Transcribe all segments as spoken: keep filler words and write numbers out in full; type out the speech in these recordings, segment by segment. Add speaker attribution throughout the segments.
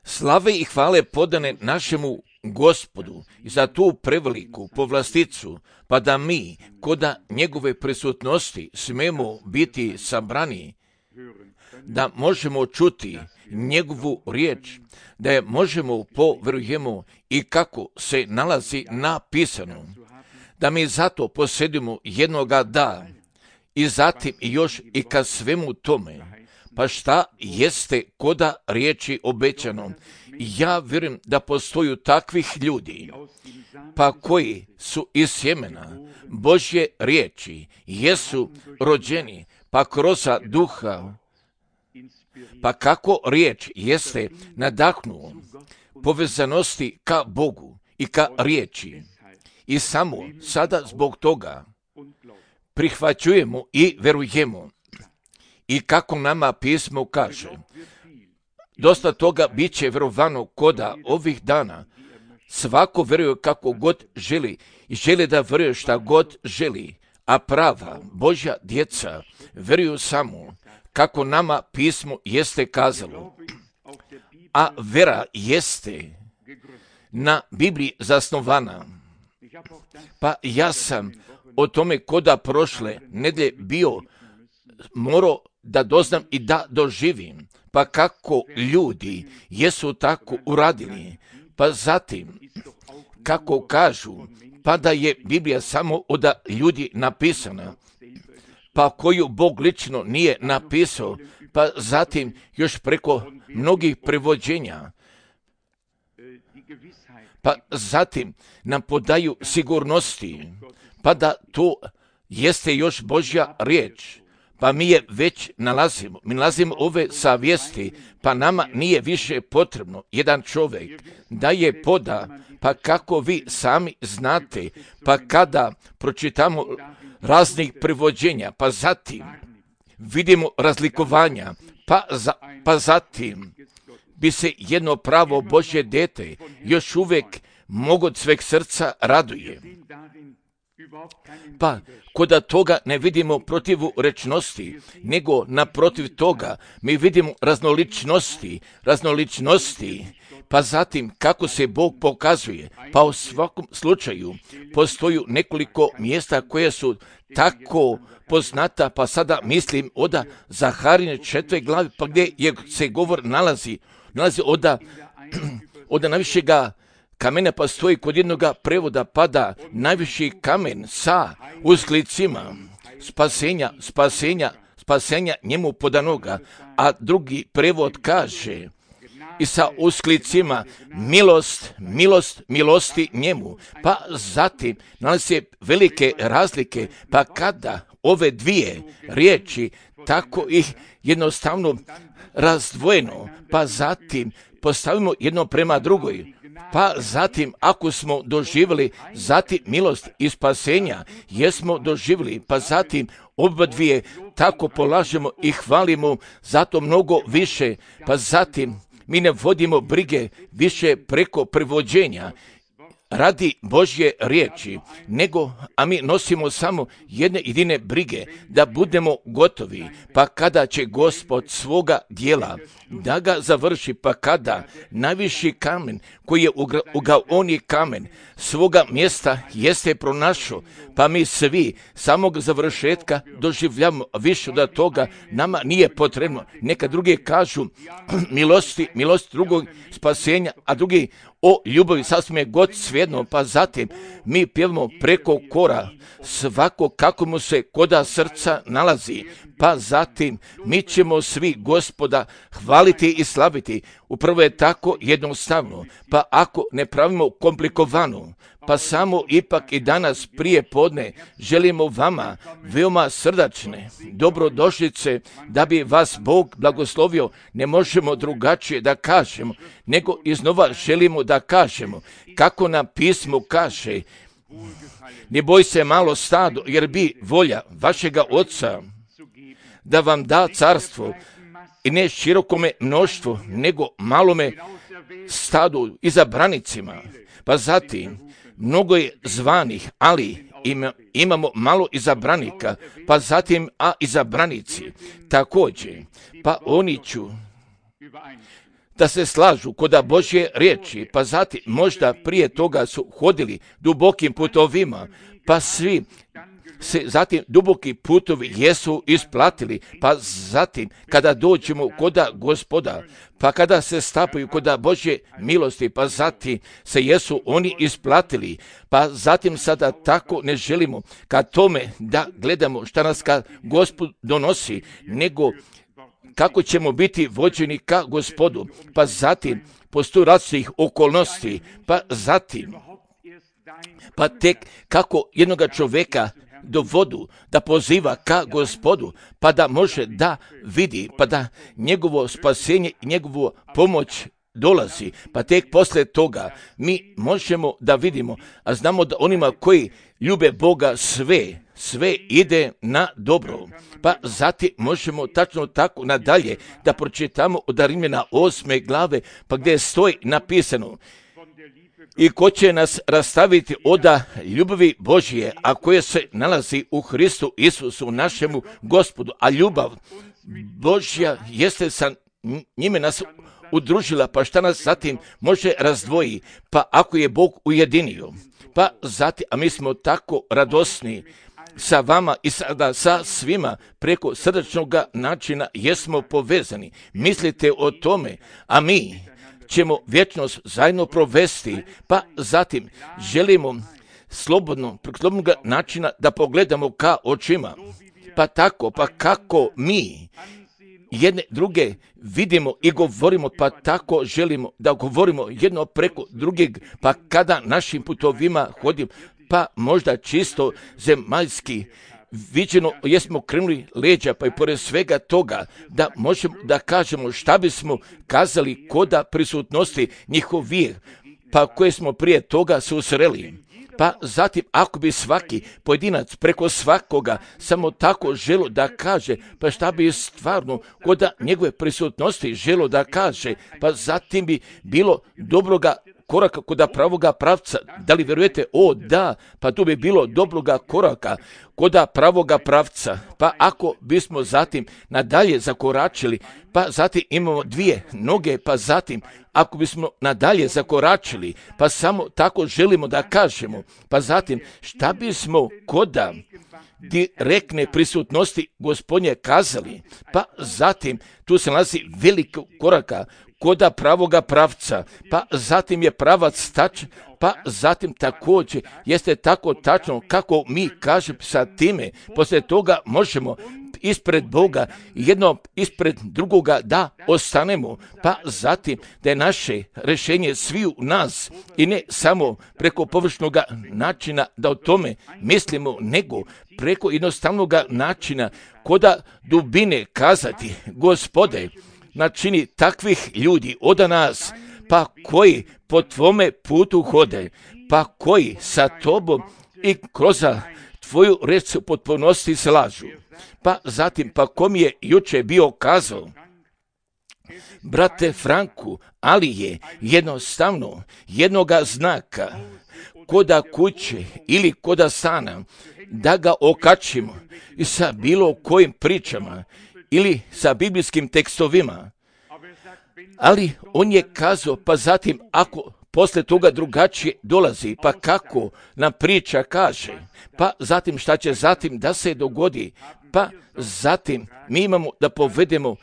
Speaker 1: Slave i hvale podane našemu Gospodu i za tu preveliku povlasticu, pa da mi, koda njegove prisutnosti, smemo biti sabrani, da možemo čuti njegovu riječ, da je možemo poverujemo i kako se nalazi napisano, da mi zato posjedimo jednoga da i zatim još i ka svemu tome. Pa šta jeste koda riječi obećano? Ja vjerujem da postoju takvih ljudi, pa koji su iz sjemena Božje riječi, jesu rođeni, pa kroz duha, pa kako riječ jeste nadahnuo povezanosti ka Bogu i ka riječi. I samo sada zbog toga prihvaćujemo i verujemo. I kako nama pismo kaže, dosta toga bit će verovano koda ovih dana. Svako veruje kako god želi i želi da veruje šta god želi, a prava Božja djeca veruju samo kako nama pismo jeste kazalo. A vera jeste na Bibliji zasnovana. Pa ja sam o tome koda prošle nedelje bio morao da doznam i da doživim, pa kako ljudi jesu tako uradili, pa zatim kako kažu, pa da je Biblija samo od ljudi napisana, pa koju Bog lično nije napisao, pa zatim još preko mnogih prevođenja, pa zatim nam podaju sigurnosti, pa da to jeste još Božja riječ. Pa mi je već nalazimo, mi nalazimo ove savjesti, pa nama nije više potrebno jedan čovjek da je poda, pa kako vi sami znate, pa kada pročitamo raznih prevođenja, pa zatim vidimo razlikovanja, pa, za, pa zatim bi se jedno pravo Božje dete još uvijek mogu od sveg srca raduje. Pa, koda toga ne vidimo protivrečnosti, nego naprotiv toga mi vidimo raznoličnosti, raznoličnosti, pa zatim kako se Bog pokazuje. Pa u svakom slučaju postoji nekoliko mjesta koje su tako poznata, pa sada mislim oda Zaharine četvrte glavi, pa gdje je, se govor nalazi, nalazi oda, oda najvišega kamena, pa stoji kod jednoga prevoda pada najviši kamen sa usklicima spasenja, spasenja, spasenja njemu podanoga, a drugi prevod kaže i sa usklicima milost, milost, milosti njemu. Pa zatim nalazi se velike razlike, pa kada ove dvije riječi tako ih jednostavno razdvojeno, pa zatim postavimo jedno prema drugoj, pa zatim ako smo doživjeli zatim milost i spasenja, jesmo doživjeli, pa zatim oba dvije tako polažemo i hvalimo zato mnogo više, pa zatim mi ne vodimo brige više preko prevođenja radi Božje riječi, nego, a mi nosimo samo jedne jedine brige, da budemo gotovi, pa kada će Gospod svoga dijela da ga završi, pa kada najviši kamen koji je ugaoni kamen svoga mjesta jeste pronašao, pa mi svi samog završetka doživljamo više od toga, nama nije potrebno. Neka drugi kažu milosti, milost drugog spasenja, a drugi o ljubavi, sasvim je god svejedno, pa zatim mi pjevamo preko kora svako kako mu se koda srca nalazi, pa zatim mi ćemo svi Gospoda hvaliti i slaviti. Upravo je tako jednostavno, pa ako ne pravimo komplikovano, pa samo ipak i danas prije podne želimo vama veoma srdačne dobrodošlice, da bi vas Bog blagoslovio. Ne možemo drugačije da kažemo, nego iznova želimo da kažemo kako nam pismo kaže: ne boj se malo stado, jer bi volja vašega Oca da vam da carstvo, i ne širokome mnoštvu, nego malome stadu, izabranicima. Pa zatim, mnogo je zvanih, ali ima, imamo malo izabranika, pa zatim a izabranici također, pa oni ću da se slažu kod Božje riječi, pa zatim možda prije toga su hodili dubokim putovima, pa svi se zatim duboki putovi jesu isplatili, pa zatim kada dođemo kod Gospoda, pa kada se stapaju kod Božje milosti, pa zatim se jesu oni isplatili, pa zatim sada tako ne želimo ka tome da gledamo šta nas ka Gospod donosi, nego kako ćemo biti vođeni ka Gospodu, pa zatim postoji različitih okolnosti, pa zatim pa tek kako jednoga čovjeka do vodu da poziva ka Gospodu, pa da može da vidi, pa da njegovo spasenje i njegovu pomoć dolazi, pa tek poslije toga mi možemo da vidimo, a znamo da onima koji ljube Boga sve, sve ide na dobro. Pa zatim možemo tačno tako nadalje da pročitamo od Rimljana osme glave, pa gdje stoji napisano: i ko će nas rastaviti od ljubavi Božje, a koje se nalazi u Hristu Isusu našemu Gospodu, a ljubav Božja jeste sa njime nas udružila, pa šta nas zatim može razdvoji, pa ako je Bog ujedinio, pa zatim, a mi smo tako radosni sa vama i sada sa svima preko srdačnog načina jesmo povezani. Mislite o tome, a mi ćemo vječnost zajedno provesti, pa zatim želimo slobodno, preko slobodnog načina da pogledamo ka očima, pa tako, pa kako mi jedne druge vidimo i govorimo, pa tako želimo da govorimo jedno preko drugeg, pa kada našim putovima hodimo, pa možda čisto zemaljski viđeno jesmo krenuli leđa, pa i pored svega toga da možemo da kažemo šta bismo kazali koda prisutnosti njihovih, pa koje smo prije toga susreli. Pa zatim ako bi svaki pojedinac preko svakoga samo tako želo da kaže, pa šta bi stvarno kod njegove prisutnosti želo da kaže, pa zatim bi bilo dobroga koraka kod pravoga pravca. Da li vjerujete? O da, pa tu bi bilo dobroga koraka kod pravoga pravca. Pa ako bismo zatim nadalje zakoračili, pa zatim imamo dvije noge, pa zatim ako bismo nadalje zakoračili, pa samo tako želimo da kažemo, pa zatim šta bismo koda direktne prisutnosti Gospodnje kazali, pa zatim tu se nalazi veliko koraka koda pravoga pravca, pa zatim je pravac tačan, pa zatim također jeste tako tačno kako mi kažemo sa time, poslije toga možemo ispred Boga jedno ispred drugoga da ostanemo, pa zatim da je naše rješenje sviju nas i ne samo preko površnog načina da o tome mislimo, nego preko jednostavnog načina koda dubine kazati: Gospode, načini takvih ljudi od nas, pa koji po tvome putu hode, pa koji sa tobom i kroz tvoju reč se u potpunosti slažu. Pa zatim, pa kom je juče bio kazao, brate Franku, ali je jednostavno jednoga znaka koda kuće ili koda stana da ga okačimo i sa bilo kojim pričama ili sa biblijskim tekstovima. Ali on je kazao, pa zatim ako posle toga drugačije dolazi, pa kako nam priča kaže, pa zatim šta će zatim da se dogodi, pa zatim mi imamo da povedemo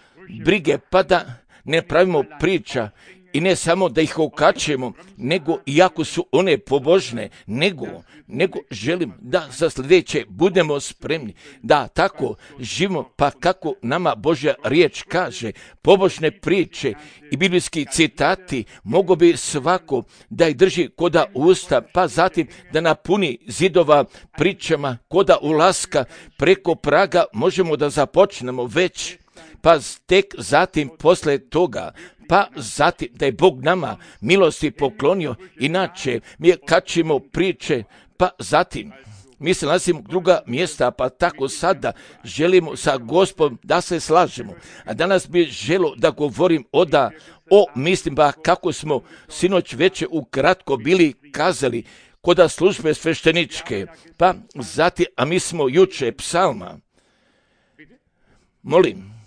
Speaker 1: brige, pa da ne pravimo priča i ne samo da ih okačemo, nego iako su one pobožne, nego, nego želim da za sljedeće budemo spremni, da tako živimo, pa kako nama Božja riječ kaže, pobožne priče i biblijski citati mogu bi svako da ih drži koda usta, pa zatim da napuni zidova pričama koda ulaska preko praga možemo da započnemo već, pa tek zatim posle toga, pa zatim da je Bog nama milosti poklonio, inače mi kačimo priče, pa zatim mi se nalazimo druga mjesta, pa tako sada želimo sa Gospodom da se slažemo. A danas bi želo da govorim oda o mislim ba kako smo sinoć veče ukratko bili kazali koda službe svešteničke, pa zatim, a mi smo juče psalma, molim,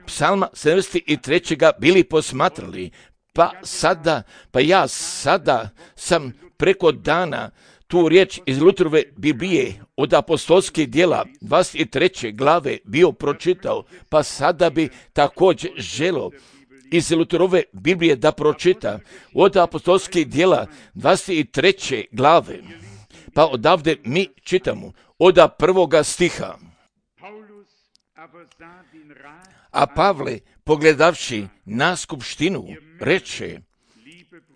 Speaker 1: psalma sedamdeset tri bili posmatrali, pa sada, pa ja sada sam preko dana tu riječ iz Luterove Biblije od apostolskih djela dvadeset treće glave bio pročitao, pa sada bi također želo iz Luterove Biblije da pročita od apostolskih djela dvadeset treće glave. Pa odavde mi čitamo od prvoga stiha. A Pavle, pogledavši na skupštinu, reče: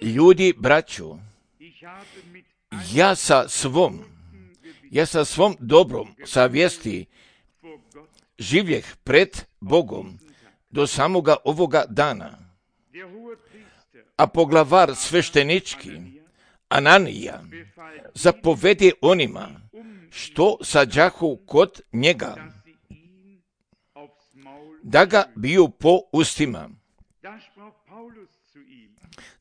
Speaker 1: ljudi, braćo, ja sa svom, ja sa svom dobrom savjesti življeh pred Bogom do samoga ovoga dana. A poglavar sveštenički, Ananija, zapovedi onima što sađahu kod njega, da ga biju po ustima.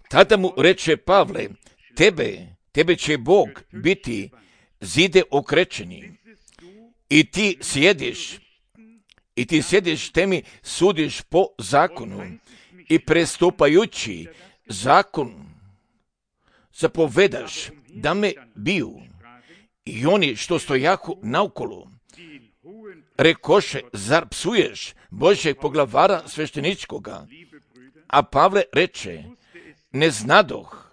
Speaker 1: Tada mu reče Pavle: tebe, tebe će Bog biti zide okrečeni, i ti sjediš, i ti sjediš te mi sudiš po zakonu, i prestupajući zakon zapovedaš da me biju. I oni što stojahu naokolo rekoše: zar psuješ Božjeg poglavara svešteničkoga? A Pavle reče: ne znadoh,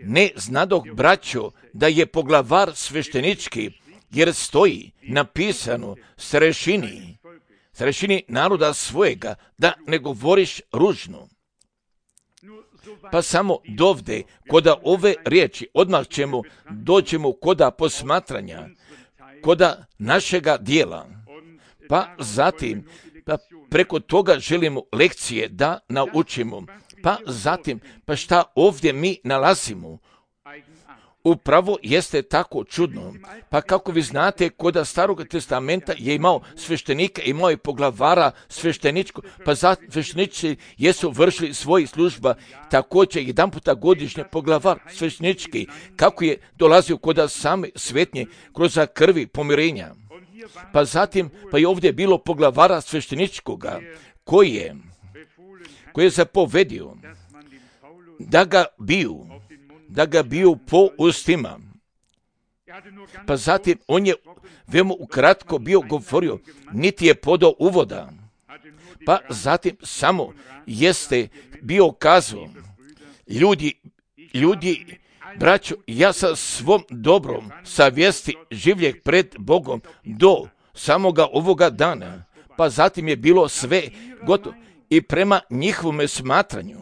Speaker 1: ne znadoh, braćo, da je poglavar sveštenički, jer stoji napisano starešini, starešini naroda svojega, da ne govoriš ružno. Pa samo dovde, koda ove riječi, odmah ćemo, dođemo koda posmatranja, koda našega dijela. Pa zatim, pa preko toga želimo lekcije da naučimo. Pa zatim, pa šta ovdje mi nalazimo? Upravo jeste tako čudno. Pa kako vi znate, koda Starog testamenta je imao sveštenika, imao je poglavara svešteničko, pa za sveštenici jesu vršili svoji služba, također jedan puta godišnje poglavar sveštenički, kako je dolazio koda same svetnje kroz krvi pomirenja. Pa zatim, pa je ovdje bilo poglavara svešteničkoga, koji je, koji je zapovedio da ga biju, da ga biju po ustima. Pa zatim on je veoma ukratko bio govorio, niti je podao uvoda. Pa zatim samo jeste bio kazao: ljudi, ljudi, braćo, ja sa svom dobrom savjesti življeh pred Bogom do samoga ovoga dana. Pa zatim je bilo sve gotovo i prema njihovome smatranju.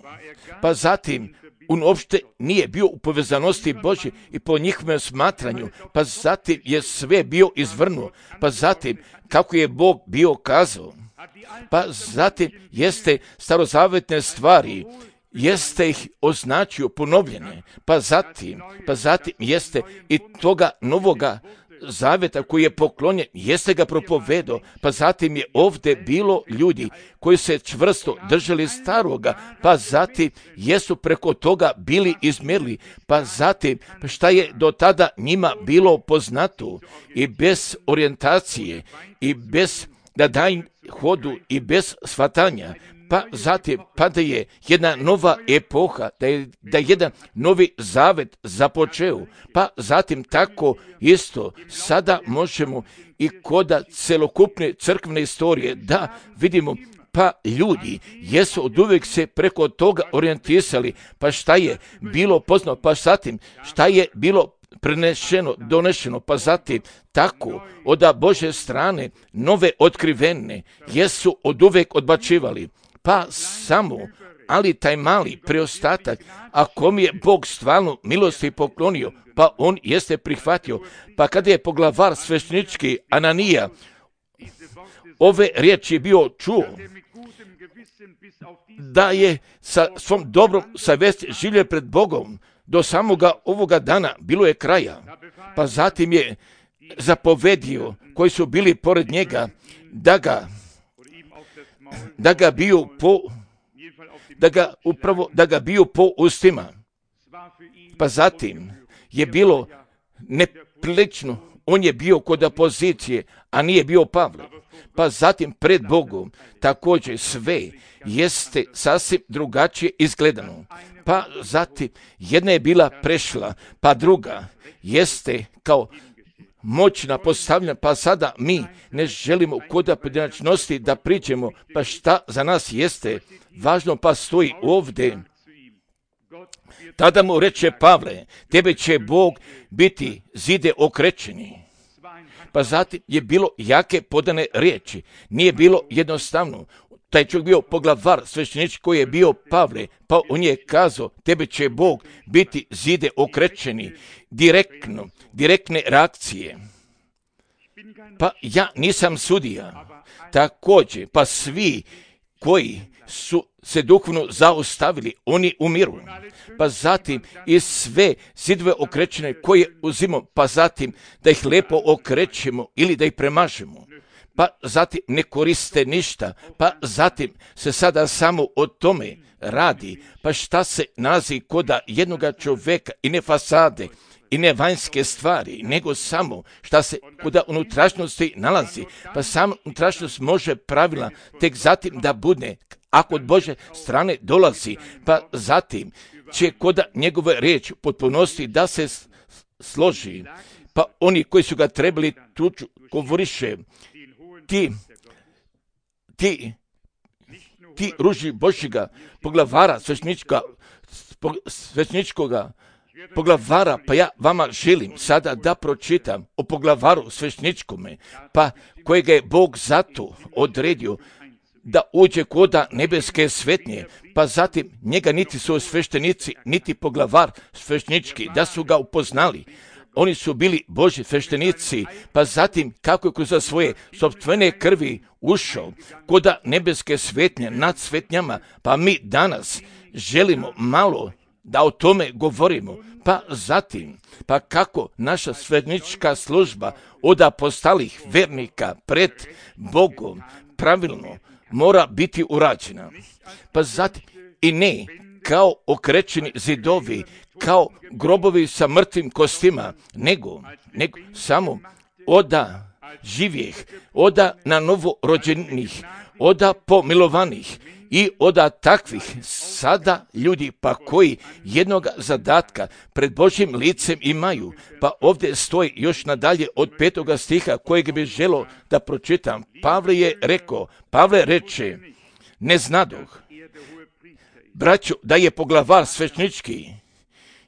Speaker 1: Pa zatim on uopšte nije bio u povezanosti Božje i po njihovom smatranju, pa zatim je sve bio izvrnuo, pa zatim kako je Bog bio kazao, pa zatim jeste starozavetne stvari, jeste ih označio ponovljene, pa zatim, pa zatim jeste i toga novoga zaveta koji je poklonjen, jeste ga propovedao, pa zatim je ovdje bilo ljudi koji se čvrsto držali staroga, pa zatim jesu preko toga bili izmjerili, pa zatim šta je do tada njima bilo poznato i bez orijentacije i bez da daj hodu i bez shvatanja, pa zatim pa da je jedna nova epoha, da je, da je jedan novi zavet započeo, pa zatim tako isto sada možemo i koda celokupne crkvene istorije da vidimo, pa ljudi jesu od uvijek se preko toga orijentisali, pa šta je bilo poznato, pa zatim šta je bilo prenešeno, donešeno, pa zatim tako od Božje strane nove otkrivene jesu od uvijek odbačivali. Pa samo, ali taj mali preostatak, ako mi je Bog stvarno milosti poklonio, pa on jeste prihvatio. Pa kada je poglavar sveštenički Ananija ove riječi bio čuo, da je sa svom dobrom savjesti živio pred Bogom do samoga ovoga dana, bilo je kraja. Pa zatim je zapovedio koji su bili pored njega da ga da ga biju po da ga upravo da ga biju po ustima. Pa zatim je bilo neprilično on je bio kod opozicije, a nije bio Pavle. Pa zatim pred Bogom također sve jeste sasvim drugačije izgledano. Pa zatim jedna je bila prešla, pa druga jeste kao moćna postavljena, pa sada mi ne želimo kod pojedinačnosti da priđemo, pa šta za nas jeste važno, pa stoji ovdje. Tada mu reče Pavle, tebe će Bog biti zide okrečeni. Pa zatim je bilo jake podane riječi, nije bilo jednostavno. Taj čovjek bio poglavar sveštenički koji je bio Pavle, pa on je kazao, tebe će Bog biti zide okrečeni, direktno, direktne reakcije. Pa ja nisam sudija, također, pa svi koji su se duhovno zaustavili, oni umiru. Pa zatim i sve zidove okrećene koje uzimamo, pa zatim da ih lepo okrećemo ili da ih premažemo. Pa zatim ne koriste ništa, pa zatim se sada samo o tome radi. Pa šta se nalazi koda jednoga čovjeka i ne fasade i ne vanjske stvari, nego samo šta se koda unutrašnjosti nalazi. Pa sam unutrašnjost može pravila tek zatim da bude, ako od Bože strane dolazi, pa zatim će koda njegove riječi potpunosti da se složi. Pa oni koji su ga trebali tuču govoriše, ti, ti, ti ruži Božjega poglavara svešteničkoga, svešteničkoga poglavara, pa ja vama želim sada da pročitam o poglavaru svešteničkome, pa kojega je Bog zato odredio da uđe koda nebeske svetnje, pa zatim njega niti su sveštenici, niti poglavar sveštenički, da su ga upoznali. Oni su bili Božji sveštenici, pa zatim kako je kroz svoje sopstvene krvi ušao koda nebeske svetnje nad svetnjama, pa mi danas želimo malo da o tome govorimo. Pa zatim, pa kako naša sveštenička služba od apostolih vernika pred Bogom pravilno mora biti urađena. Pa zatim i ne kao okrećeni zidovi, kao grobovi sa mrtvim kostima, nego, nego samo oda živjeh, oda na novo rođenih, oda pomilovanih i oda takvih sada ljudi pa koji jednog zadatka pred Božjim licem imaju. Pa ovdje stoji još nadalje od petoga stiha kojeg bi želo da pročitam. Pavle je rekao, Pavle reče, ne znadoh, braćo, da je poglavar sveštenički,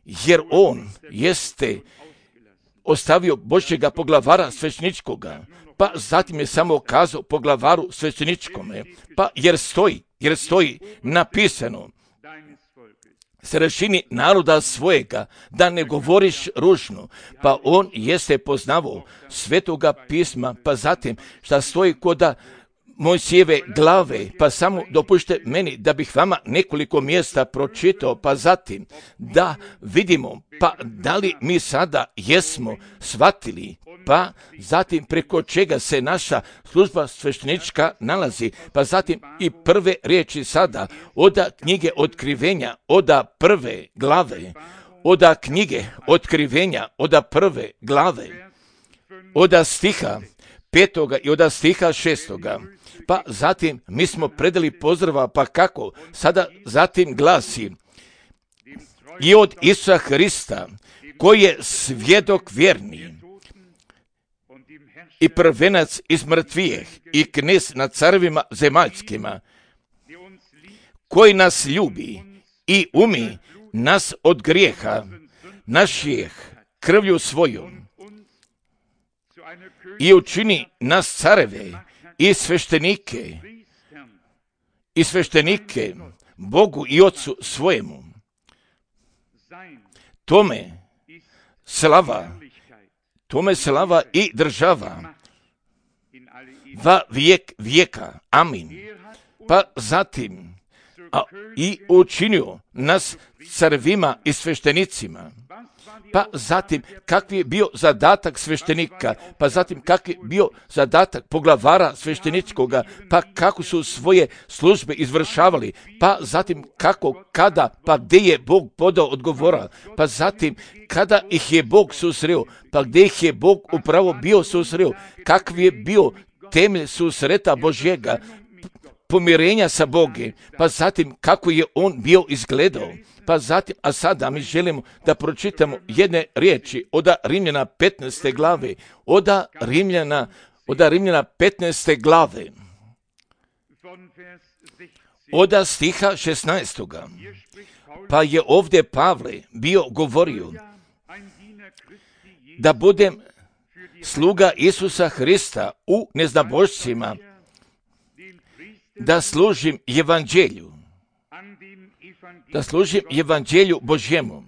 Speaker 1: jer on jeste ostavio Božjega poglavara svešteničkoga, pa zatim je samo kazao poglavaru svešteničkome, pa jer stoji, jer stoji napisano, starešini naroda svojega, da ne govoriš ružno, pa on jeste poznavao svetoga pisma, pa zatim šta stoji koda Mojsijeve glave, pa samo dopušte meni da bih vama nekoliko mjesta pročitao, pa zatim da vidimo, pa da li mi sada jesmo shvatili, pa zatim preko čega se naša služba sveštenička nalazi, pa zatim i prve riječi sada, oda knjige otkrivenja, oda prve glave, oda knjige otkrivenja, oda prve glave, oda stiha petoga i oda stiha šestoga. Pa zatim mi smo predali pozdrava, pa kako? Sada zatim glasi, i od Isusa Hrista, koji je svjedok vjerni i prvenac iz mrtvijeh i knez nad carevima zemaljskima, koji nas ljubi i umi nas od grijeha naših krvlju svojom i učini nas careve i sveštenike, i sveštenike Bogu i Otcu svojemu. Tome slava, tome slava i država va vijek vijeka. Amin. Pa zatim a i učinio nas carevima i sveštenicima. Pa zatim, kakvi je bio zadatak sveštenika, pa zatim kakvi je bio zadatak poglavara svešteničkoga, pa kako su svoje službe izvršavali, pa zatim kako, kada, pa gdje je Bog podao odgovora, pa zatim kada ih je Bog susreo, pa gdje ih je Bog upravo bio susreo, kakvi je bio temelj susreta Božjega, pomirenja sa Bogom, pa zatim kako je on bio izgledao. Pa zatim, a sada mi želimo da pročitamo jedne riječi od Rimljana petnaeste glave, od Rimljana, od Rimljana petnaeste glave, od stiha šesnaestoga. Pa je ovdje Pavle bio govorio da budem sluga Isusa Hrista u neznabošcima, da služim evanđelju, da služim evanđelju Božjemu,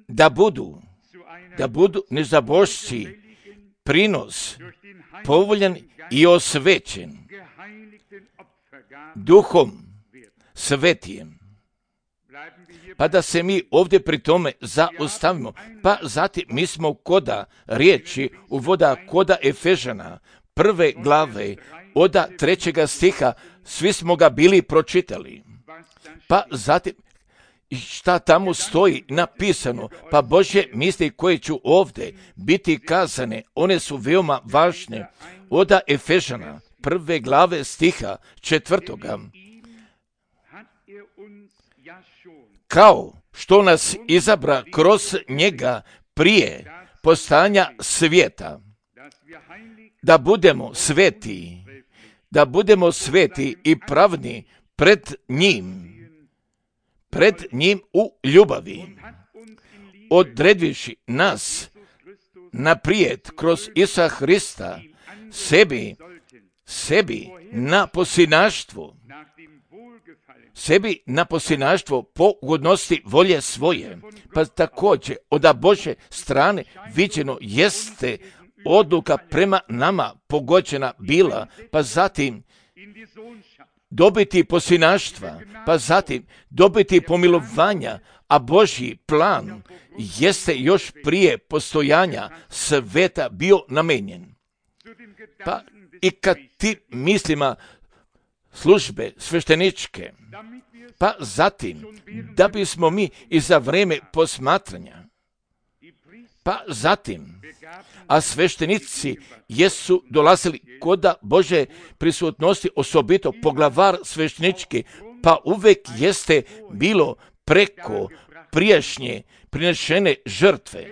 Speaker 1: da budu, da budu nezabošci prinos povoljan i osvećen duhom svetijem. Pa da se mi ovdje pri tome zaustavimo. Pa zatim mi smo koda riječi uvoda koda Efežana prve glave od trećega stiha, svi smo ga bili pročitali. Pa zatim, šta tamo stoji napisano, pa Božje misli koje ću ovdje biti kazane, one su veoma važne. Od Efežana prve glave stiha četvrtoga. Kao što nas izabra kroz njega prije postojanja svijeta, da budemo sveti, da budemo sveti i pravni pred njim, pred njim u ljubavi, odredivši nas naprijed kroz Isusa Hrista sebi, sebi na posinaštvo, sebi na posinaštvo po ugodnosti volje svoje. Pa također od Božje strane viđeno jeste odluka prema nama pogođena bila, pa zatim dobiti posinaštva, pa zatim dobiti pomilovanja, a Božji plan jeste još prije postojanja sveta bio namenjen. Pa i kad ti mislima službe svešteničke, pa zatim da bismo mi i za vrijeme posmatranja, pa zatim, a sveštenici jesu dolazili koda Bože prisutnosti, osobito poglavar sveštenički, pa uvek jeste bilo preko prijašnje prinešene žrtve.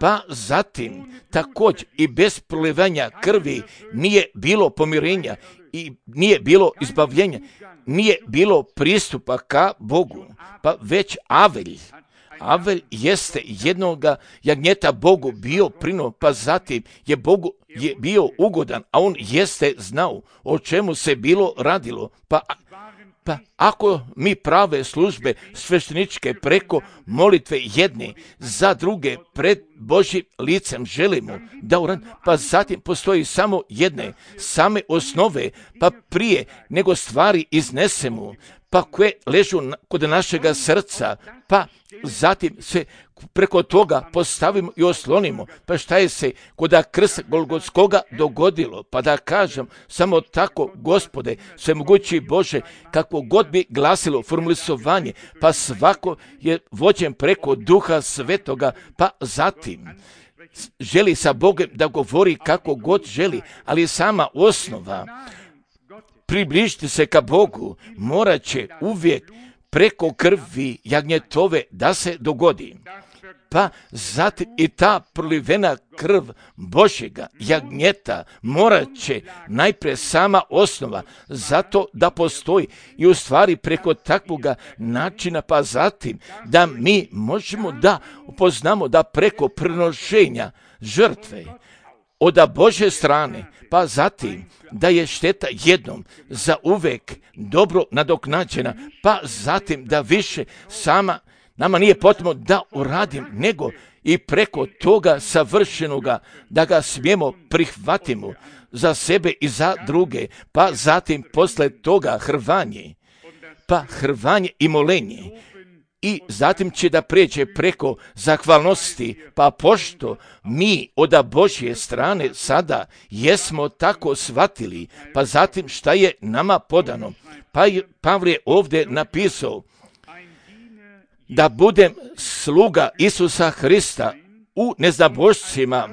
Speaker 1: Pa zatim također i bez prolivanja krvi nije bilo pomirenja i nije bilo izbavljenja, nije bilo pristupa ka Bogu, pa već Avelj. Avelj jeste jednoga jagnjeta Bogu bio prino, pa zatim je Bogu je bio ugodan, a on jeste znao o čemu se bilo radilo. Pa, pa ako mi prave službe svešteničke preko molitve jedne za druge pred Božjim licem želimo da uradimo, pa zatim postoji samo jedne same osnove, pa prije nego stvari iznesemo, pa koje ležu kod našega srca, pa zatim se preko toga postavimo i oslonimo. Pa šta je se kod krsta Golgotskoga dogodilo? Pa da kažem samo tako, Gospode, svemogući Bože, kako god bi glasilo formulisovanje, pa svako je vođen preko Duha Svetoga, pa zatim želi sa Bogom da govori kako god želi, ali sama osnova približiti se ka Bogu morat će uvijek preko krvi jagnjetove da se dogodi. Pa zatim i ta prolivena krv Božjega jagnjeta morat će najprije sama osnova zato da postoji i u stvari preko takvoga načina, pa zatim da mi možemo da upoznamo da preko prinošenja žrtve od Božje strane, pa zatim da je šteta jednom za uvek dobro nadoknađena, pa zatim da više sama nama nije potrebno da uradim, nego i preko toga savršenoga da ga smijemo prihvatimo. za sebe i za druge, pa zatim posle toga hrvanje, pa hrvanje i molenje. I zatim će da pređe preko zahvalnosti, pa pošto mi od Božje strane sada jesmo tako shvatili, pa zatim šta je nama podano. Pa je Pavle ovdje napisao da budem sluga Isusa Hrista u neznabošcima,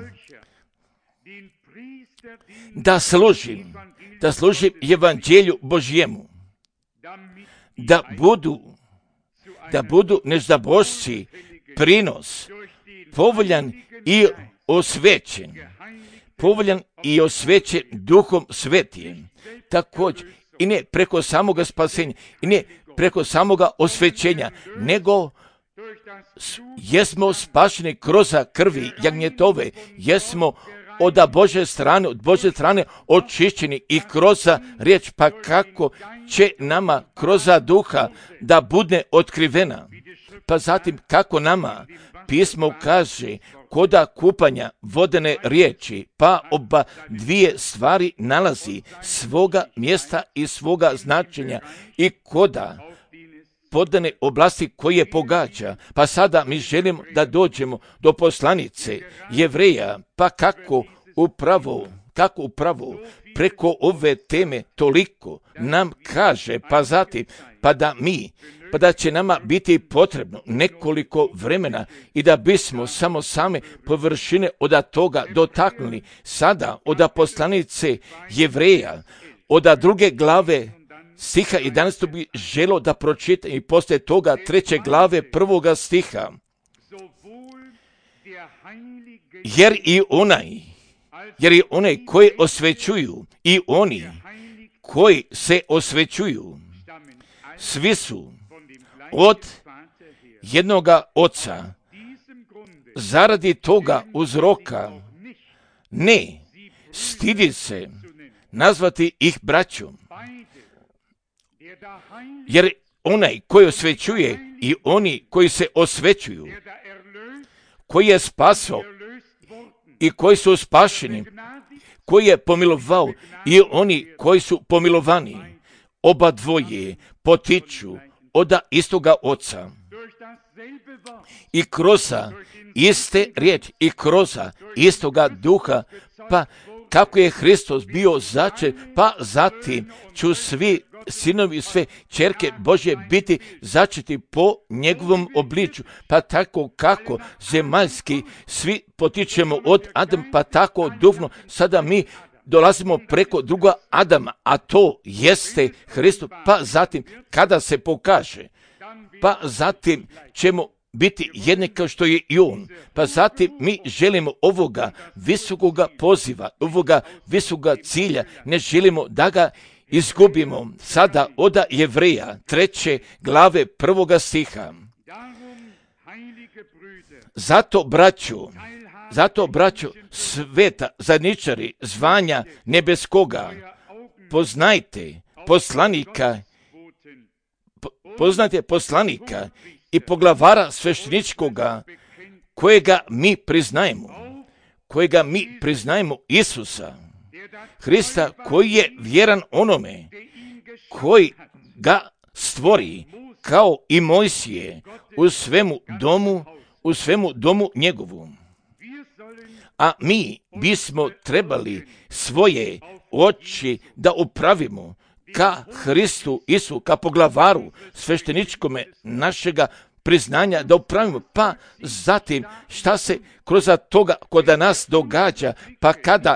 Speaker 1: da služim, da služim evanđelju Božjemu, da budu da budu neznabošci prinos, povoljan i osvećen, povoljan i osvećen Duhom Svetijem. Također, i ne preko samoga spasenja, i ne preko samoga osvećenja, nego jesmo spašeni kroz krvi jagnjetove, jesmo od Božje strane, od Božje strane očišćeni i kroz riječ, pa kako će nama kroz duha da bude otkrivena. Pa zatim kako nama pismo kaže koda kupanja vodene riječi, pa oba dvije stvari nalazi svoga mjesta i svoga značenja i koda podane oblasti koje pogađa. Pa sada mi želimo da dođemo do poslanice Jevreja, pa kako upravo, kako upravo preko ove teme toliko nam kaže, pa zatim, pa da mi, pa da će nama biti potrebno nekoliko vremena i da bismo samo same površine od toga dotaknuli. Sada od poslanice Jevreja, od druge glave stiha jedanaestog bi želo da pročita i poslije toga treće glave prvoga stiha. Jer i onaj, jer i onaj koji osvećuju i oni koji se osvećuju, svi su od jednoga oca. Zaradi toga uzroka ne stidi se nazvati ih braćom. Jer onaj koji osvećuje i oni koji se osvećuju, koji je spasao i koji su spašeni, koji je pomilovao i oni koji su pomilovani, oba dvoje potiču od istoga oca. I kroz iste riječi i kroz istoga duha, pa kako je Hristos bio začet, pa zatim ću svi sinovi, sve ćerke Božje biti začeti po njegovom obličju, pa tako kako zemaljski svi potičemo od Adama, pa tako duhovno sada mi dolazimo preko druga Adama, a to jeste Hristos, pa zatim kada se pokaže, pa zatim ćemo biti jedni kao što je i on. Pa zatim mi želimo ovoga visokoga poziva, ovoga visokoga cilja, ne želimo da ga izgubimo. Sada od Jevreja treće glave prvoga stiha. Zato braću, zato braću sveta zajedničari zvanja nebeskoga, poznajte poslanika, po, poznajte poslanika i poglavara svešteničkoga, kojega mi priznajemo, kojega mi priznajemo Isusa Hrista, koji je vjeran onome koji ga stvori, kao i Mojsije u svemu domu, u svemu domu njegovu. A mi bismo trebali svoje oči da upravimo ka Hristu Isu, ka poglavaru svešteničkome našega priznanja, da upravimo, pa zatim šta se kroz toga kod nas događa, pa kada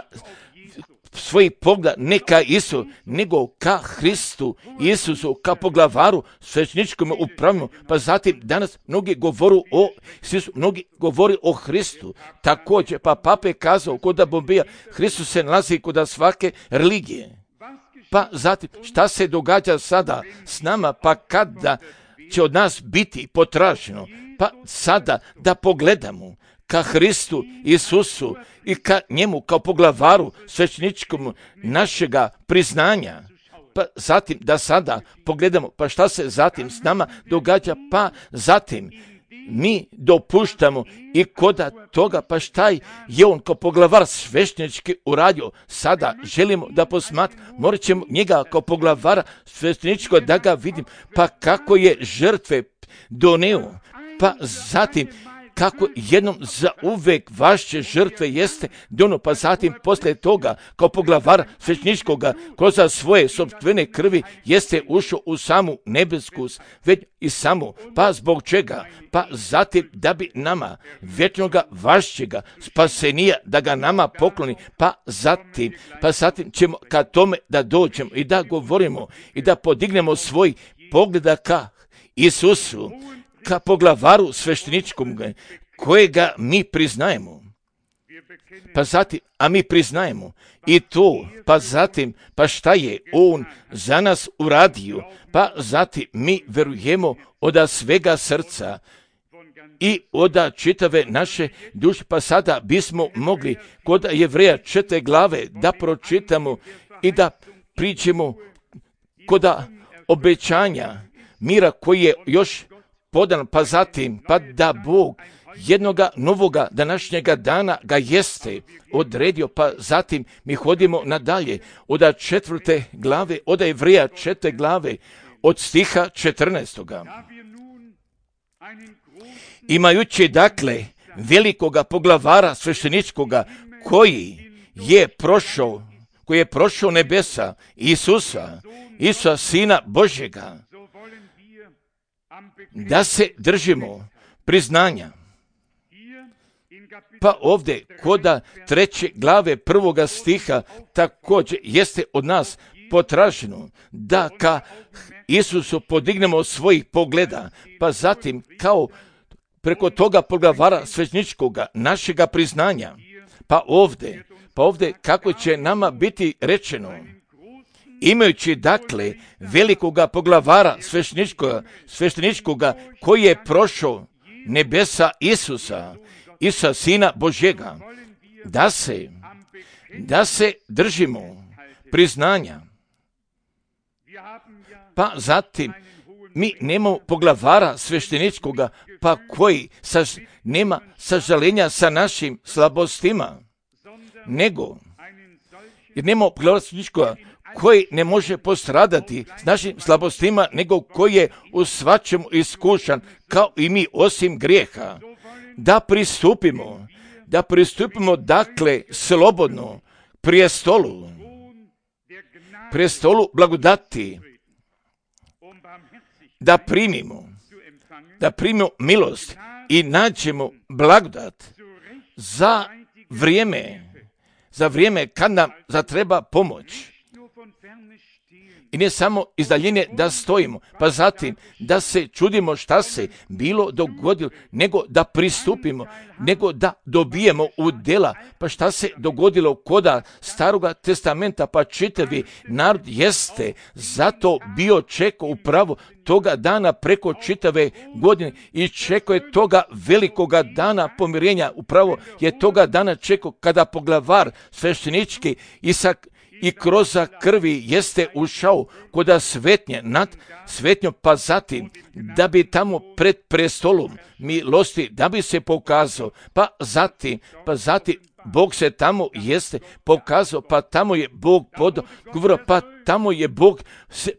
Speaker 1: svoj pogled ne ka Isu, nego ka Hristu Isusu, ka poglavaru svešteničkome upravimo, pa zatim danas mnogi govoru o Isusu, mnogi govori o Hristu, također, pa Papa je kazao kod Bombija, Hristos se nalazi kod svake religije. Pa zatim, šta se događa sada s nama, pa kada će od nas biti potraženo, pa sada da pogledamo ka Hristu Isusu i ka njemu kao poglavaru svešteničkom našega priznanja. Pa zatim da sada pogledamo, pa šta se zatim s nama događa, pa zatim mi dopuštamo i koda toga, pa šta je on kao poglavar sveštenički uradio. Sada želimo da posmatramo, morat ćemo njega kao poglavara svešteničkog da ga vidim, pa kako je žrtve doneo, pa zatim kako jednom za uvek vaše žrtve jeste dono, pa zatim posle toga kao poglavar svešteničkoga kroz svoje sopstvene krvi jeste ušao u samu nebesku već i samu, pa zbog čega? Pa zatim da bi nama večnoga vašćega spasenija da ga nama pokloni, pa zatim, pa zatim ćemo ka tome da dođemo i da govorimo i da podignemo svoj pogleda ka Isusu, ka poglavaru svešteničkom kojega mi priznajemo. Pa zatim, a mi priznajemo i to, pa zatim, pa šta je on za nas uradio, pa zatim mi verujemo od svega srca i od čitave naše duše, pa sada bismo mogli kod Jevreja četiri glave da pročitamo i da pričamo kod obećanja mira koji je još podan, pa zatim, pa da Bog jednoga novoga današnjega dana ga jeste odredio, pa zatim mi hodimo nadalje od četvrte glave, od Jevreja četiri glave, od stiha četrnaestoga. Imajući dakle velikoga poglavara svešteničkoga koji je prošao, koji je prošao nebesa, Isusa, Isusa Sina Božjega, da se držimo priznanja. Pa ovdje koda treće glave prvoga stiha također jeste od nas potraženo da ka Isusu podignemo svojih pogleda, pa zatim kao preko toga poglavara svešteničkoga našega priznanja. Pa ovdje, pa ovdje kako će nama biti rečeno, imajući dakle velikoga poglavara svešteničkoga, svešteničkoga koji je prošao nebesa Isusa, Isusa Sina Božjega, da se, da se držimo priznanja. Pa zatim, mi nemamo poglavara svešteničkoga, pa koji saž, nema sažalenja sa našim slabostima, nego, jer nemamo poglavara svešteničkoga koji ne može postradati s našim slabostima, nego koji je u svačemu iskušan, kao i mi, osim grijeha. Da pristupimo, da pristupimo dakle slobodno prije stolu, prije stolu blagodati, da primimo, da primimo milost i nađemo blagodat za vrijeme, za vrijeme kad nam zatreba pomoć. I ne samo iz daljine da stojimo, pa zatim da se čudimo šta se bilo dogodilo, nego da pristupimo, nego da dobijemo u djela, pa šta se dogodilo koda Staroga testamenta, pa čitavi narod jeste zato bio čekao upravo toga dana preko čitave godine i čekao je toga velikoga dana pomirenja, upravo je toga dana čekao kada poglavar sveštenički Isak i kroz krvi jeste ušao koda svetnje nad svetnjom, pa zatim da bi tamo pred prestolom milosti da bi se pokazao, pa zatim, pa zatim Bog se tamo jeste pokazao, pa tamo je Bog podao, govorio, pa tamo je Bog,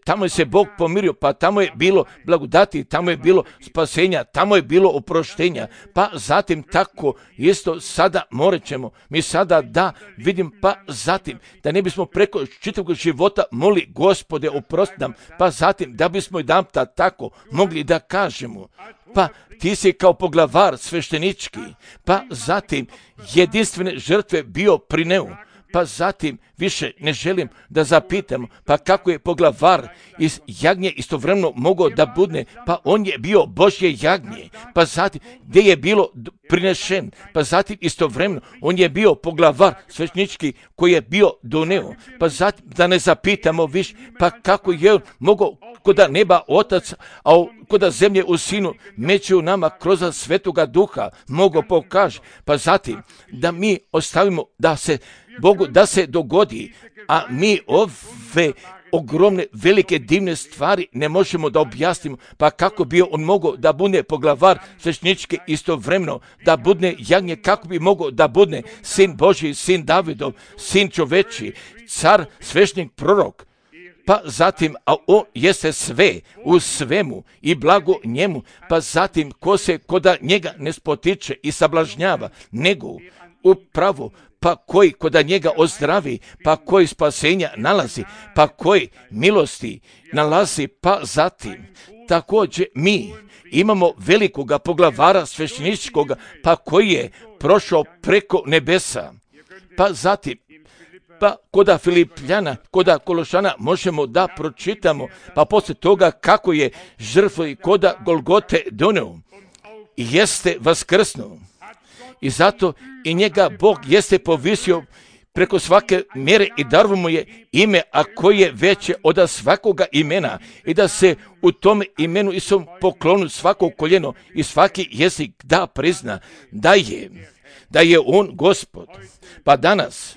Speaker 1: tamo je se Bog pomirio, pa tamo je bilo blagodati, tamo je bilo spasenja, tamo je bilo oproštenja, pa zatim tako isto sada morat ćemo, mi sada da vidim, pa zatim da ne bismo preko čitavog života moli Gospode oprosti nam, pa zatim da bismo jedan tako mogli da kažemo, pa ti si kao poglavar sveštenički, pa zatim jedinstvene žrtve bio prineo, pa zatim više ne želim da zapitamo, pa kako je poglavar iz jagnje istovremeno mogao da budne, pa on je bio Božje jagnje, pa zatim gdje je bilo prinešen, pa zatim istovremeno on je bio poglavar sveštenički koji je bio doneo, pa zatim da ne zapitamo više, pa kako je on mogao koda neba otac, a koda zemlje u sinu među nama kroz svetoga duha mogo pokaže, pa zatim da mi ostavimo da se Bogu da se dogodi, a mi ove ogromne, velike, divne stvari ne možemo da objasnimo, pa kako bi on mogao da bude poglavar svešteničke istovremeno, da bude jagnje, kako bi mogao da bude sin Božji, sin Davidov, sin čoveči, car, sveštenik, prorok. Pa zatim, a on jeste sve u svemu i blago njemu, pa zatim ko se koda njega ne spotiče i sablažnjava, nego upravo, pa koji koda njega ozdravi, pa koji spasenja nalazi, pa koji milosti nalazi, pa zatim također mi imamo velikoga poglavara svešteničkoga, pa koji je prošao preko nebesa, pa zatim pa koda Filipljana, koda Kološana možemo da pročitamo, pa poslije toga kako je žrtvu i koda Golgote doneo i jeste vaskrsnuo. I zato i njega Bog jeste povisio preko svake mjere i darovo mu je ime, a koje je veće od svakoga imena, i da se u tome imenu i svom poklonu svako koljeno i svaki jezik da prizna da je, da je on Gospod. Pa danas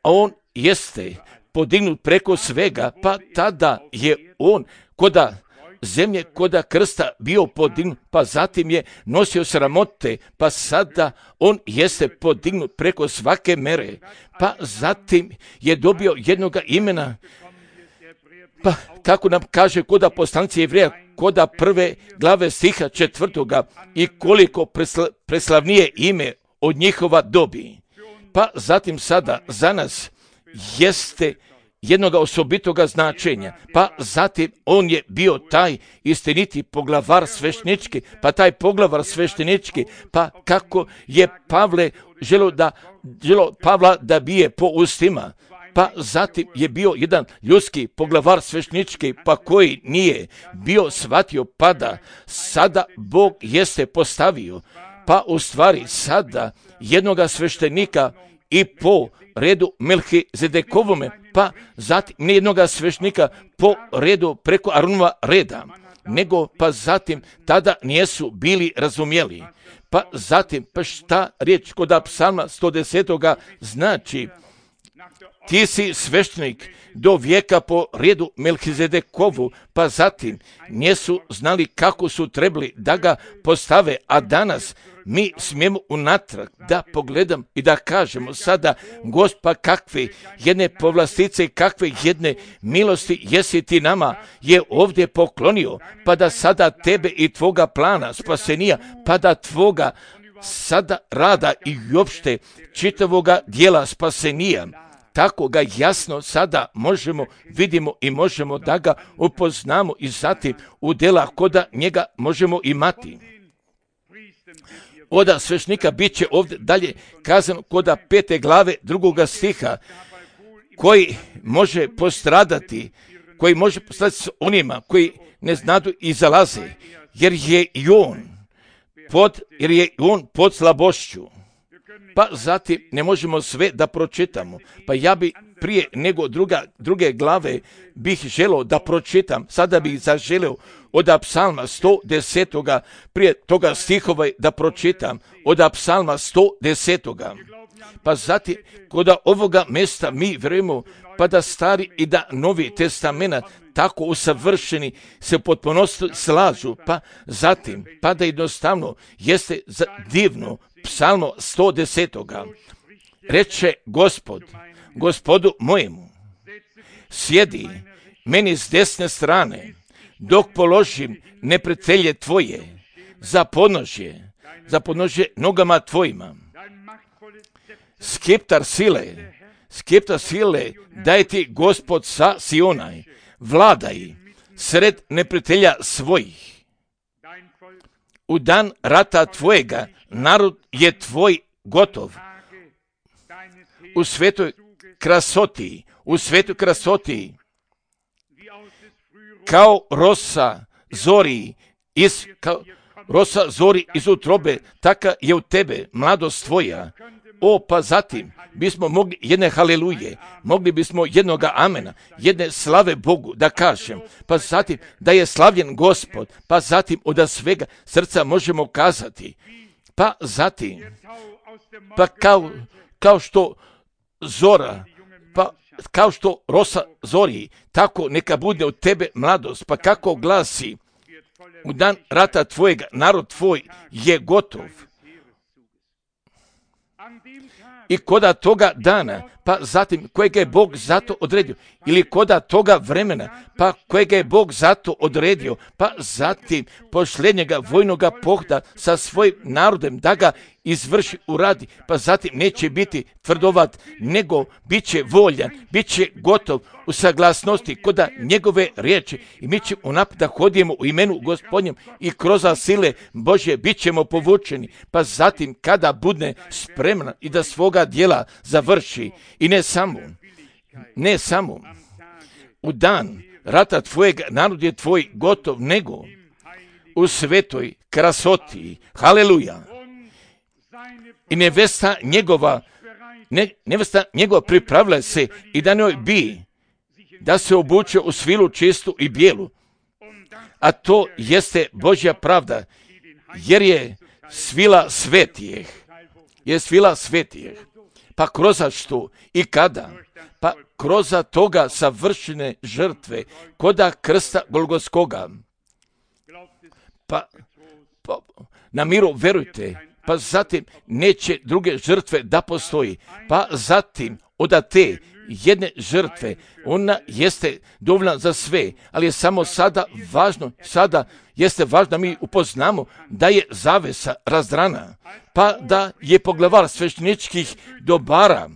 Speaker 1: a on jeste podignut preko svega, pa tada je on koda zemlje, koda krsta bio podignut, pa zatim je nosio sramote, pa sada on jeste podignut preko svake mere, pa zatim je dobio jednoga imena, pa kako nam kaže koda poslanici Jevreja, koda prve glave stiha četvrtoga, i koliko presla, preslavnije ime od njihova dobi. Pa zatim sada za nas jeste jednoga osobitoga značenja, pa zatim on je bio taj istiniti poglavar sveštenički, pa taj poglavar sveštenički, pa kako je Pavle želo da želo Pavla da bije po ustima, pa zatim je bio jedan ljudski poglavar sveštenički, pa koji nije bio shvatio, pa da sada Bog jeste postavio, pa u stvari sada jednoga sveštenika i po redu Melhizedekovome, pa zatim ne jednoga sveštenika po redu preko Aronova reda, nego pa zatim tada nijesu bili razumjeli. Pa zatim, pa šta riječ kod psalma sto deset znači, ti si sveštenik do vijeka po redu Melhizedekovu, pa zatim nijesu znali kako su trebali da ga postave, a danas mi smijemo unatrag da pogledam i da kažemo sada, Gospa, kakve jedne povlastice i kakve jedne milosti jesi ti nama je ovdje poklonio, pa da sada tebe i tvoga plana spasenija, pa da tvoga sada rada i uopšte čitavoga dijela spasenija, tako ga jasno sada možemo, vidimo i možemo da ga upoznamo i zatim u djela koda njega možemo imati. Oda svešnika bit će ovdje dalje kazano koda pete glave drugoga stiha, koji može postradati, koji može postradati s onima koji ne znadu i zalaze, jer je i on pod, jer je i on pod slabošću. Pa zatim ne možemo sve da pročitamo, pa ja bi prije nego druga, druge glave bih želio da pročitam, sada bih zaželio od psalma sto deset, prije toga stihova da pročitam, od psalma sto deset. Pa zatim, kod ovoga mjesta mi vjerujemo, pa da stari i da novi testament tako usavršeni se potpunosti slažu, pa zatim, pa da jednostavno jeste divno, psalmo sto deset. Reče Gospod, Gospodu mojemu, sjedi meni s desne strane, dok položim neprijatelje tvoje za podnožje, za podnožje nogama tvojima. Skeptar sile, skeptar sile, daj ti Gospod sa Sionaj, vladaj sred neprijatelja svojih. U dan rata tvojega narod je tvoj gotov. U svetoj krasoti, u svetoj krasoti, kao rosa zori iz, kao rosa zori iz utrobe, taka je u tebe mladost tvoja. O, pa zatim bismo mogli jedne haleluje, mogli bismo jednoga amena, jedne slave Bogu da kažem, pa zatim da je slavljen Gospod, pa zatim od svega srca možemo kazati, pa zatim, pa kao, kao što zora, pa kao što rosa zori, tako neka bude od tebe mladost, pa kako glasi, u dan rata tvojega narod tvoj je gotov. I koda toga dana, pa zatim kojega je Bog zato odredio, ili koda toga vremena, pa kojega je Bog zato odredio, pa zatim posljednjega vojnoga pohoda sa svojim narodem da ga izvrši uradi, pa zatim neće biti tvrdovat, nego bit će voljan, bit će gotov u saglasnosti koda njegove riječi i mi ćemo unaprijed da hodimo u imenu Gospodnjem i kroz sile Božje bit ćemo povučeni, pa zatim kada bude spremna i da svoga djela završi i ne samo, ne samo u dan rata tvojeg narod je tvoj gotov, nego u svetoj krasoti, haleluja, i nevesta njegova, ne, nevesta njegova pripravila se i da njoj bi, da se obuče u svilu čistu i bijelu, a to jeste Božja pravda, jer je svila svetijeh, je svila svetijeh, pa kroz što i kada, pa kroz toga savršene žrtve, koda krsta Golgotskoga, pa, pa na miru verujte, pa zatim neće druge žrtve da postoji, pa zatim od te jedne žrtve, ona jeste dovoljna za sve, ali je samo sada važno, sada jeste važno da mi upoznamo da je zavesa razdrana, pa da je poglavar svešteničkih dobara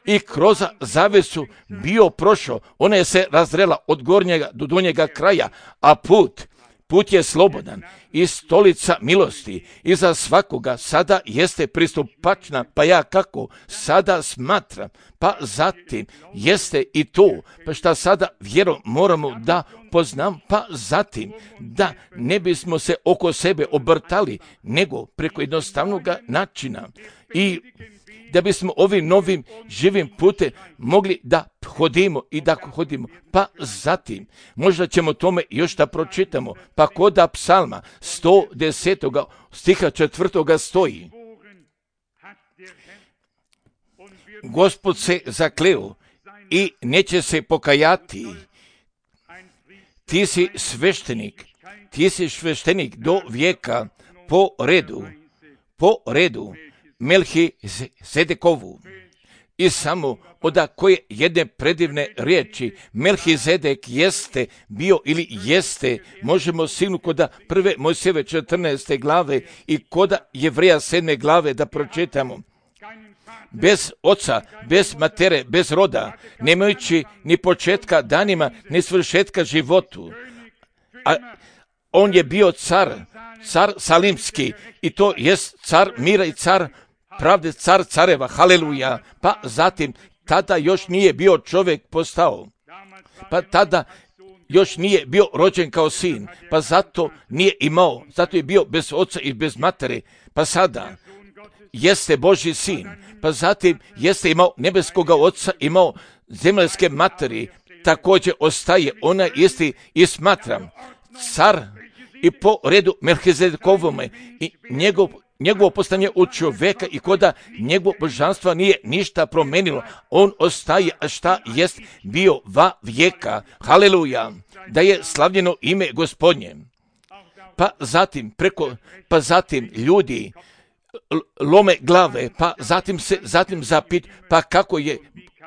Speaker 1: i kroz zavesu bio prošao, ona je se razrela od gornjega do donjega kraja, a put, put je slobodan i stolica milosti i za svakoga sada jeste pristupačna, pa ja kako sada smatram, pa zatim jeste i to, pa šta sada vjerom moramo da poznam, pa zatim da ne bismo se oko sebe obrtali, nego preko jednostavnog načina i da bismo ovim novim živim putem mogli da hodimo i da hodimo. Pa zatim, možda ćemo tome još da pročitamo, pa koda psalma sto desetog stiha četvrtoga stoji. Gospod se zakleo i neće se pokajati. Ti si sveštenik, ti si sveštenik do vijeka po redu, po redu. Melhizedekovu. I samo od koje jedne predivne riječi Melhizedek jeste bio ili jeste, možemo sigurno koda prve Mojsijeve četrnaeste glave i koda Jevreja sedme glave da pročitamo. Bez oca, bez matere, bez roda, nemajući ni početka danima, ni svršetka životu. A on je bio car, car salimski i to jest car mira i car pravde, car careva, haleluja, pa zatim tada još nije bio čovjek postao, pa tada još nije bio rođen kao sin, pa zato nije imao, zato je bio bez oca i bez matere, pa sada jeste Božji sin, pa zatim jeste imao nebeskoga oca, imao zemaljske materi, također ostaje, ona isti i smatram, car i po redu Melhizedekovome i njegov njegovo postanje u čovjeka i koda njegovo božanstva nije ništa promenilo. On ostaje, a šta jest bio va vijeka. Haleluja. Da je slavljeno ime Gospodnje. Pa zatim preko, pa zatim ljudi lome glave, pa zatim se zatim zapit, pa kako je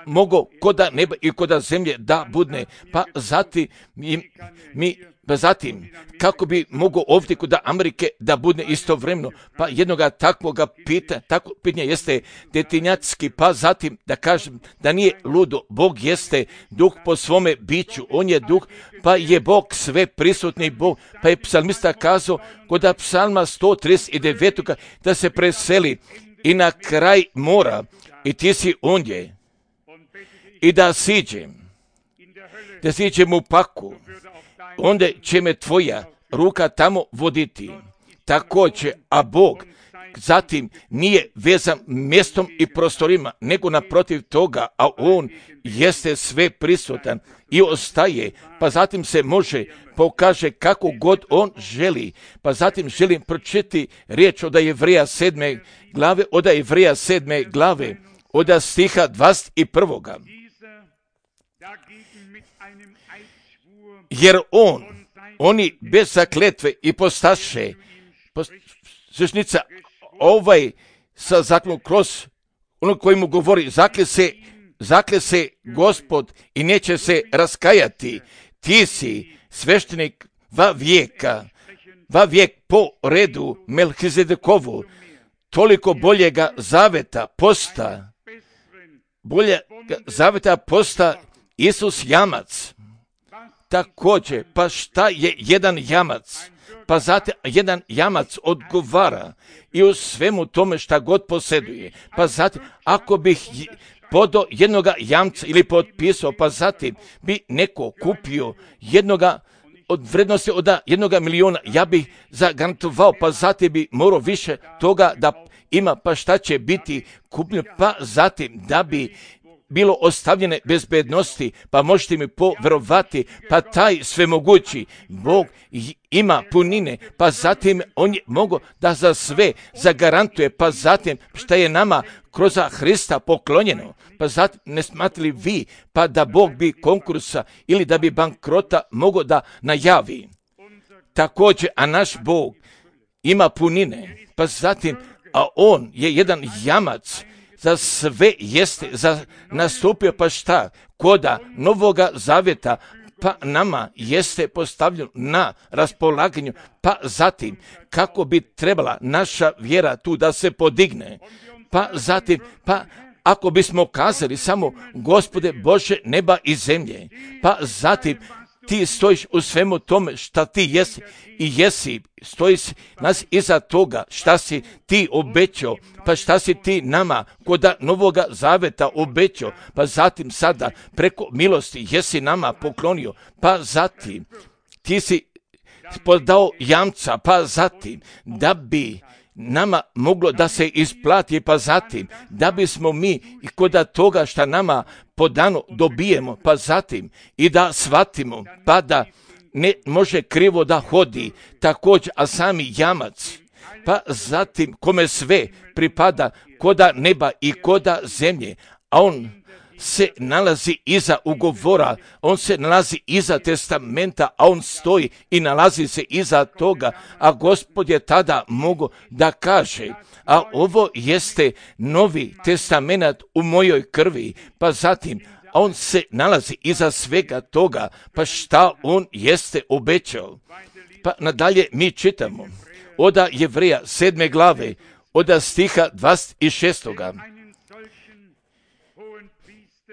Speaker 1: mogao koda neba i koda zemlje da budne, pa zatim mi, mi pa zatim, kako bi mogao ovdje kod Amerike da bude istovremeno, pa jednoga takvoga pita, takvo pitanje jeste detinjacki, pa zatim da kažem da nije ludo, Bog jeste duh po svome biću, on je duh, pa je Bog sve prisutni Bog, pa je psalmista kazao kod psalma sto trideset devet da se preseli i na kraj mora i ti si ondje i da siđem, da siđem u paku, onda će me tvoja ruka tamo voditi. Također, a Bog zatim nije vezan mjestom i prostorima, nego naprotiv toga, a on jeste sve prisutan i ostaje, pa zatim se može pokaže kako god on želi. Pa zatim želim pročitati riječ od Jevreja sedme glave, od Jevreja sedme glave, od stiha dvadeset prvog. Jer on, oni bez zakletve i postaše, sveštica ovaj sa zaklom kroz ono koji mu govori, zakle se, zakle se Gospod i neće se raskajati. Ti si sveštenik va vijeka, va vijek po redu Melhizedekovu, toliko boljega zaveta posta, boljega zaveta posta Isus jamac. Također, pa šta je jedan jamac? Pa zato jedan jamac odgovara i u svemu tome šta god posjeduje. Pa zato, ako bih podao jednoga jamca ili potpisao, pa zatim bi neko kupio jednoga od vrednosti od jednoga miliona, ja bih zagarantovao, pa zatim bi morao više toga da ima, pa šta će biti kupljeno, pa zatim da bi bilo ostavljene bezbednosti, pa možete mi poverovati, pa taj svemogući Bog ima punine, pa zatim on je mogo da za sve zagarantuje, pa zatim šta je nama kroz Hrista poklonjeno, pa zatim ne smatrali vi, pa da Bog bi konkursa ili da bi bankrota mogo da najavi. Također, a naš Bog ima punine, pa zatim, a on je jedan jamac, za sve jeste, za nastupio, pa šta, koda Novoga Zaveta, pa nama jeste postavljeno na raspolaganju, pa zatim kako bi trebala naša vjera tu da se podigne, pa zatim, pa ako bismo kazali samo Gospode Bože neba i zemlje, pa zatim ti stojiš u svemu tome šta ti jesi i jesi, stojiš nas iza toga šta si ti obećao, pa šta si ti nama koda Novoga Zaveta obećao, pa zatim sada preko milosti jesi nama poklonio, pa zatim ti si podao jamca, pa zatim da bi nama moglo da se isplati, pa zatim da bismo mi i koda toga šta nama podano dobijemo, pa zatim i da shvatimo, pa da ne može krivo da hodi, također, a sami jamac, pa zatim kome sve pripada koda neba i koda zemlje, a on se nalazi iza ugovora, on se nalazi iza testamenta, a on stoji i nalazi se iza toga, a Gospod je tada mogo da kaže, a ovo jeste novi testament u mojoj krvi, pa zatim, a on se nalazi iza svega toga, pa šta on jeste obećao. Pa nadalje mi čitamo, oda Jevreja sedme glave, oda stiha dvadeset šestoga.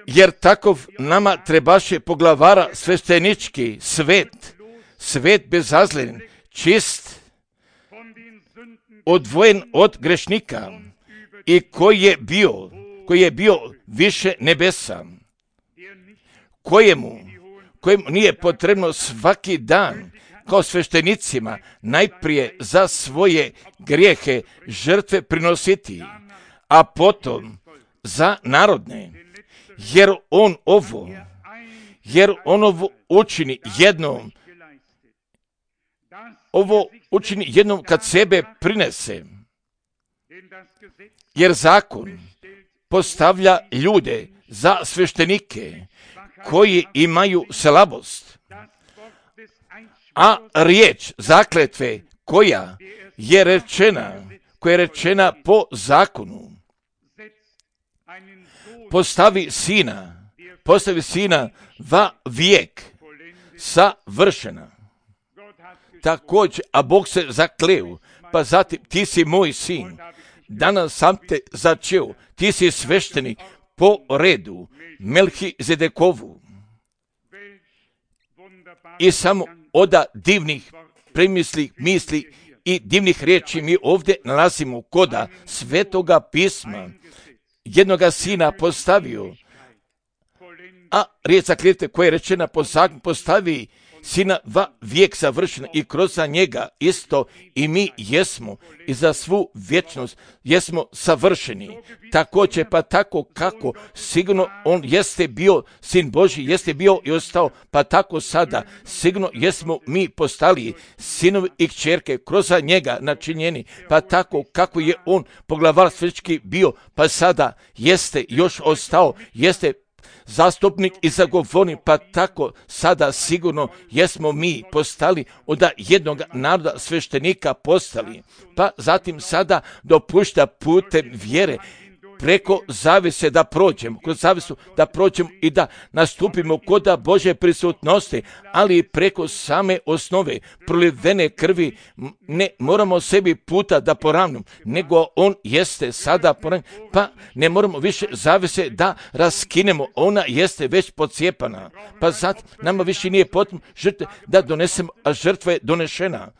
Speaker 1: Jer takov nama trebaše poglavara sveštenički svet, svet bezazlen, čist, odvojen od grešnika i koji je bio, koji je bio više nebesa, kojemu, kojemu nije potrebno svaki dan kao sveštenicima najprije za svoje grijehe žrtve prinositi, a potom za narodne. Jer on ovo, jer on ovo učini jednom, ovo učini jednom kad sebe prinese. Jer zakon postavlja ljude za sveštenike koji imaju slabost, a riječ zakletve koja je rečena, koja je rečena po zakonu, postavi sina, postavi sina va vijek, savršena. Također, a Bog se zakleo, pa zatim ti si moj sin, danas sam te začeo, ti si sveštenik po redu Melhizedekovu. I samo oda divnih premisli, misli i divnih riječi mi ovdje nalazimo koda Svetoga pisma, jednoga sina postavio, a riječ zakletve koja je rečena po zakonu postavi sina va vijek savršena i kroz njega isto i mi jesmo i za svu vječnost jesmo savršeni. Također pa tako kako sigurno on jeste bio sin Božji, jeste bio i ostao, pa tako sada sigurno jesmo mi postali sinovi i kćerke kroz njega načinjeni, pa tako kako je on poglavar svečki bio, pa sada jeste još ostao, jeste zastupnik i zagovornik, pa tako sada sigurno jesmo mi postali od jednog naroda sveštenika postali, pa zatim sada dopušta putem vjere preko zavise da prođemo, kroz zavisu da prođemo i da nastupimo kod Božje prisutnosti, ali preko same osnove prolivene krvi ne moramo sebi puta da poravnimo, nego on jeste sada poravnjen, pa ne moramo više zavise da raskinemo, ona jeste već pocijepana, pa zatim nama više nije potrebno žrtve da donesemo, a žrtva je donešena,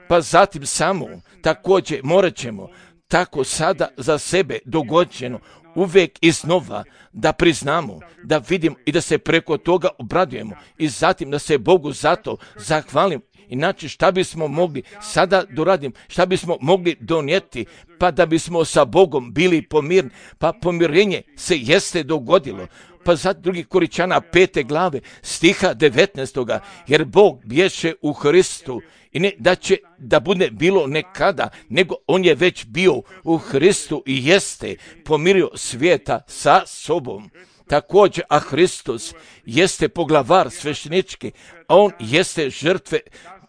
Speaker 1: pa zatim samo također morat ćemo tako sada za sebe dogođeno uvijek iznova da priznamo, da vidimo i da se preko toga obradujemo i zatim da se Bogu zato zahvalimo. Inače šta bismo mogli sada doraditi, šta bismo mogli donijeti, pa da bismo sa Bogom bili pomirni, pa pomirenje se jeste dogodilo. Pa za drugi Koričana pete glave stiha devetnaestoga, jer Bog bješe u Hristu i ne da će da bude bilo nekada, nego on je već bio u Hristu i jeste pomirio svijeta sa sobom. Također, a Hristos jeste poglavar sveštenički, a on jeste žrtve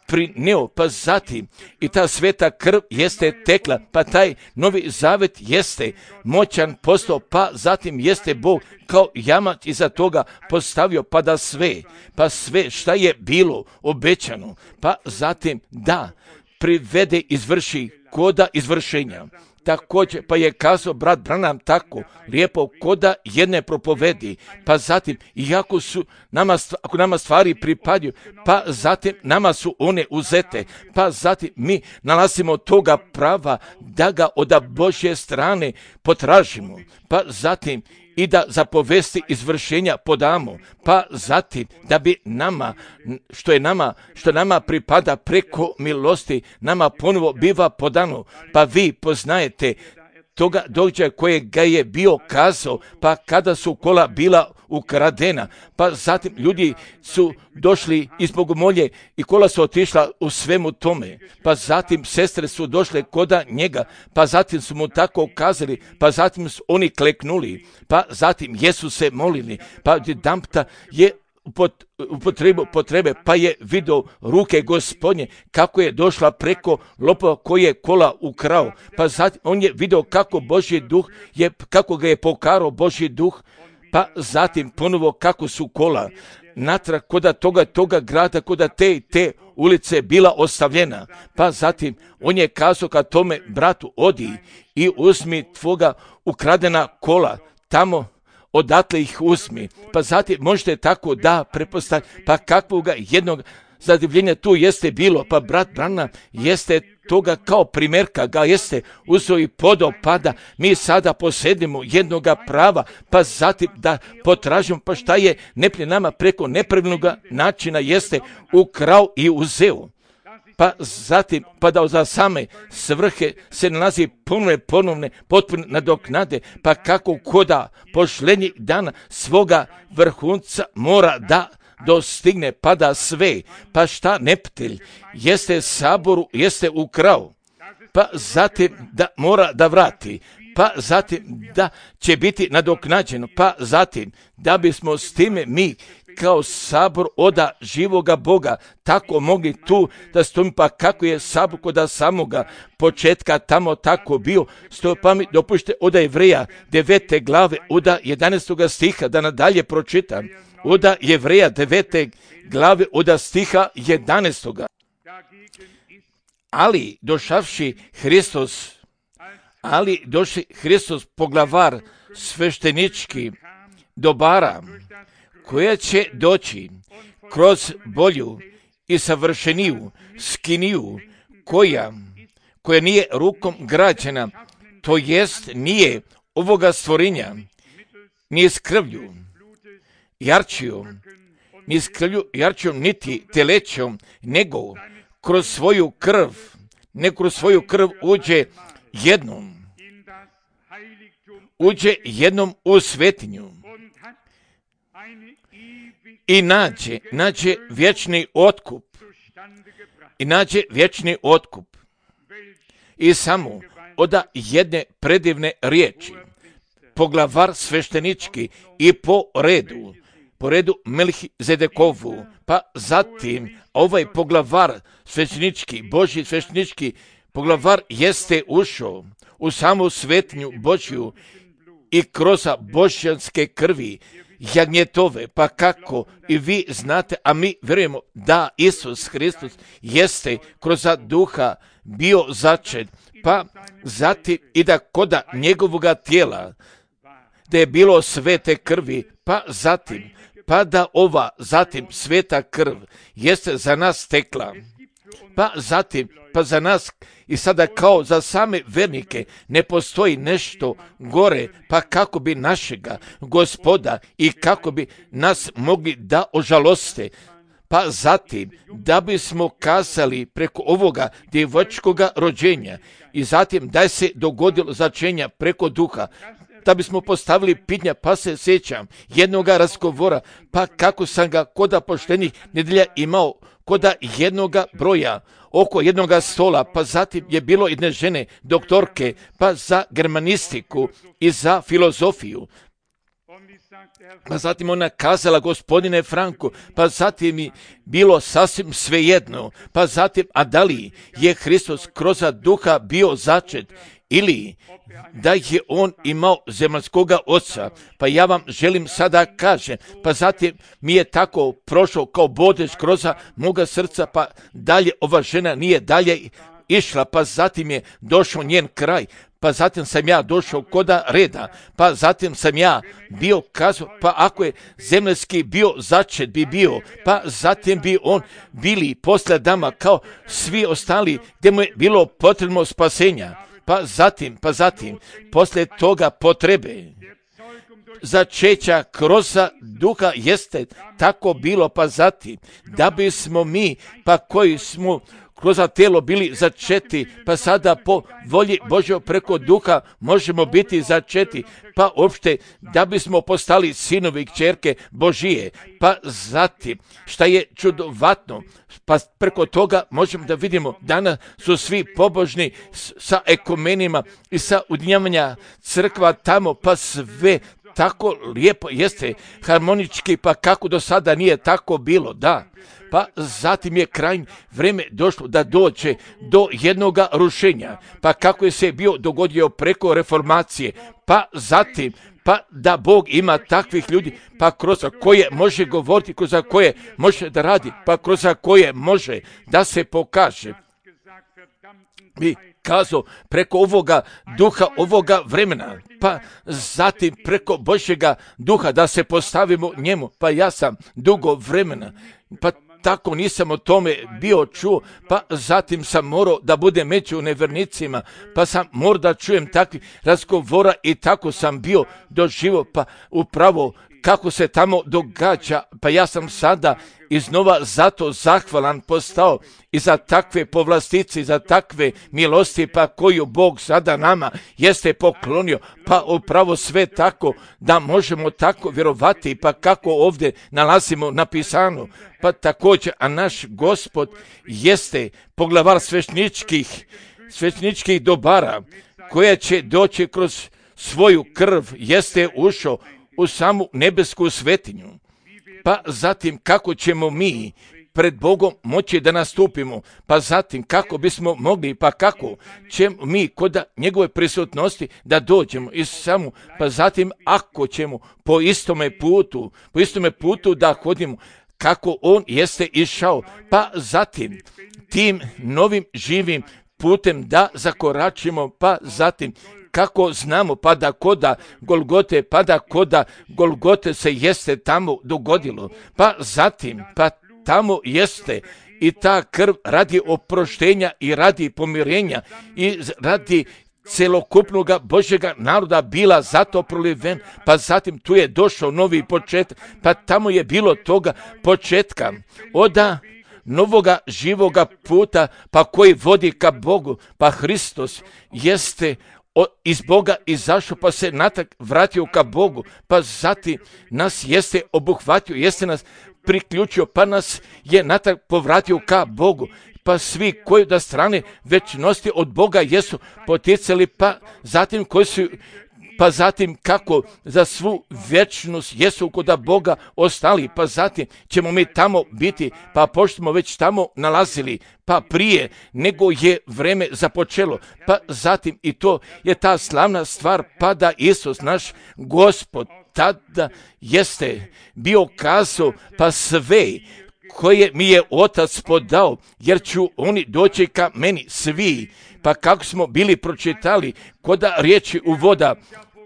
Speaker 1: prineo, pa zatim i ta sveta krv jeste tekla, pa taj novi zavet jeste moćan postao, pa zatim jeste Bog kao jamac iza toga postavio, pa da sve, pa sve šta je bilo obećano, pa zatim da privede, izvrši koda izvršenja. Također, pa je kazao brat Branham tako lijepo koda jedne propovedi, pa zatim, iako su nama, ako nama stvari pripadaju, pa zatim nama su one uzete, pa zatim mi nalazimo toga prava da ga od Božje strane potražimo, pa zatim i da za povesti izvršenja podamo, pa zatim da bi nama, što je nama, što nama pripada preko milosti, nama ponovo biva podano, pa vi poznajete toga događaja kojeg ga je bio kazao, pa kada su kola bila ukradena, pa zatim ljudi su došli iz Bogomolje i kola su otišla u svemu tome, pa zatim sestre su došle koda njega, pa zatim su mu tako kazali, pa zatim su oni kleknuli, pa zatim jesu se molili, pa jedanputa je u potrebu potrebe, pa je vidio ruke Gospodnje kako je došla preko lopova koji je kola ukrao, pa zatim on je vidio kako Božji duh je, kako ga je pokarao Božji duh, pa zatim ponovo kako su kola natrag koda toga toga grada, koda te i te ulice bila ostavljena, pa zatim on je kazao ka tome bratu, odi i uzmi tvoga ukradena kola tamo, odatle ih uzmi, pa zatim možete tako da prepostaviti, pa kakvoga jednog zadivljenja tu jeste bilo, pa brat Branham jeste toga kao primjerka ga jeste uzeo i podao, pa da mi sada posjedimo jednoga prava, pa zatim da potražimo, pa šta je neplje nama preko nepravilnog načina jeste ukrao i uzeo. Pa zatim, pa da za same svrhe se nalazi ponovne, ponovne, potpuno nadoknade, pa kako koda pošlenjih dana svoga vrhunca mora da dostigne, pa da sve, pa šta neptelj jeste saboru, jeste ukrao, pa zatim da mora da vrati, pa zatim da će biti nadoknađeno, pa zatim da bismo s time mi kao sabor oda živoga Boga tako mogli tu da stojimo, pa kako je sabor koda samoga početka tamo tako bio, stoji pa mi dopušte oda Jevreja devete glave, oda jedanaestoga stiha, da nadalje pročitam, oda Jevreja devete glave, oda stiha jedanaestoga. Ali došavši Hristos, ali došli Hristos poglavar sveštenički dobara, koja će doći kroz bolju i savršeniju skiniju, koja, koja nije rukom građena, to jest nije ovoga stvorenja, ni s krvlju, jarčijom, ni s krvlju, jarčijom, niti telećom, nego kroz svoju krv, ne kroz svoju krv uđe jednom, uđe jednom u svetinju i nađe, nađe vječni otkup, i nađe vječni otkup. I samo oda jedne predivne riječi, poglavar sveštenički i po redu, po redu Melhizedekovu, pa zatim ovaj poglavar sveštenički, Božji sveštenički poglavar jeste ušao u samu svetinju Božju i kroz božjanske krvi jagnjetove, pa kako i vi znate, a mi vjerujemo da Isus Hristos jeste kroz duha bio začet, pa zatim i da koda njegovoga tijela, da je bilo svete krvi, pa zatim, pa da ova zatim sveta krv jeste za nas tekla, pa zatim, pa za nas i sada kao za same vernike ne postoji nešto gore, pa kako bi našega Gospoda i kako bi nas mogli da ožaloste, pa zatim da bismo kazali preko ovoga djevočkoga rođenja i zatim da se dogodilo začenja preko duha, da bismo postavili pitanja, pa se sjećam jednoga razgovora, pa kako sam ga koda poštenih nedelja imao koda jednoga broja, oko jednoga stola, pa zatim je bilo jedne žene, doktorke, pa za germanistiku i za filozofiju. Pa zatim ona kazala, gospodine Franku, pa zatim mi bilo sasvim svejedno, pa zatim, a da li je Hristos kroz duha bio začet ili da je on imao zemaljskoga oca, pa ja vam želim sada kažem, pa zatim mi je tako prošao kao bodež kroz moga srca, pa dalje ova žena nije dalje išla, pa zatim je došao njen kraj, pa zatim sam ja došao koda reda, pa zatim sam ja bio kazao, pa ako je zemaljski bio začet bi bio, pa zatim bi on bili posle dama kao svi ostali gdje mu je bilo potrebno spasenja. Pa zatim, pa zatim, poslije toga potrebe začeća kroz duha jeste tako bilo, pa zatim, da bismo mi, pa koji smo kroz tijelo bili začeti, pa sada po volji Božjoj preko duha možemo biti začeti, pa uopšte da bismo postali sinovi i kćerke Božije, pa zatim, šta je čudovatno, pa preko toga možemo da vidimo danas su svi pobožni sa ekumenima i sa ujedinjavanja crkva tamo, pa sve tako lijepo jeste harmonički, pa kako do sada nije tako bilo, da. Pa zatim je krajnje vrijeme došlo da dođe do jednoga rušenja, pa kako je se bio dogodio preko reformacije, pa zatim, pa da Bog ima takvih ljudi, pa kroz koje može govoriti, kroz koje može da radi, pa kroz koje može da se pokaže. I kazao preko ovoga duha, ovoga vremena, pa zatim preko Božjega duha da se postavimo njemu, pa ja sam dugo vremena, pa tako nisam o tome bio čuo, pa zatim sam morao da budem među nevernicima, pa sam morao da čujem takvih razgovora i tako sam bio doživio, pa upravo kako se tamo događa, pa ja sam sada iznova zato zahvalan postao i za takve povlastice, za takve milosti, pa koju Bog sada nama jeste poklonio, pa upravo sve tako da možemo tako vjerovati, pa kako ovdje nalazimo napisano, pa također, a naš Gospod jeste poglavar svešteničkih, svešteničkih dobara, koja će doći kroz svoju krv, jeste ušao u samu nebesku svetinju. Pa zatim kako ćemo mi pred Bogom moći da nastupimo, pa zatim kako bismo mogli, pa kako ćemo mi kod njegove prisutnosti da dođemo i samo, pa zatim ako ćemo po istome putu, po istome putu da hodimo, kako on jeste išao, pa zatim tim novim živim putem da zakoračimo, pa zatim kako znamo, pa da koda Golgote, pa da koda Golgote se jeste tamo dogodilo, pa zatim, pa tamo jeste i ta krv radi oproštenja i radi pomirenja i radi celokupnoga Božjega naroda bila zato proliven, pa zatim tu je došao novi početak, pa tamo je bilo toga početka, oda novoga živoga puta, pa koji vodi ka Bogu, pa Hristos jeste O, iz Boga izašao, pa se natrag vratio ka Bogu, pa zatim nas jeste obuhvatio, jeste nas priključio, pa nas je natrag povratio ka Bogu, pa svi koji da strane večnosti od Boga jesu poticali, pa zatim koji su pa zatim kako za svu vječnost jesu kod Boga ostali, pa zatim ćemo mi tamo biti, pa pošto smo već tamo nalazili, pa prije nego je vreme započelo, pa zatim i to je ta slavna stvar, pa da Isus naš Gospod tada jeste bio kazao, pa sve koje mi je Otac podao, jer ću oni doći ka meni svi. Pa kako smo bili pročitali kod riječi uvoda,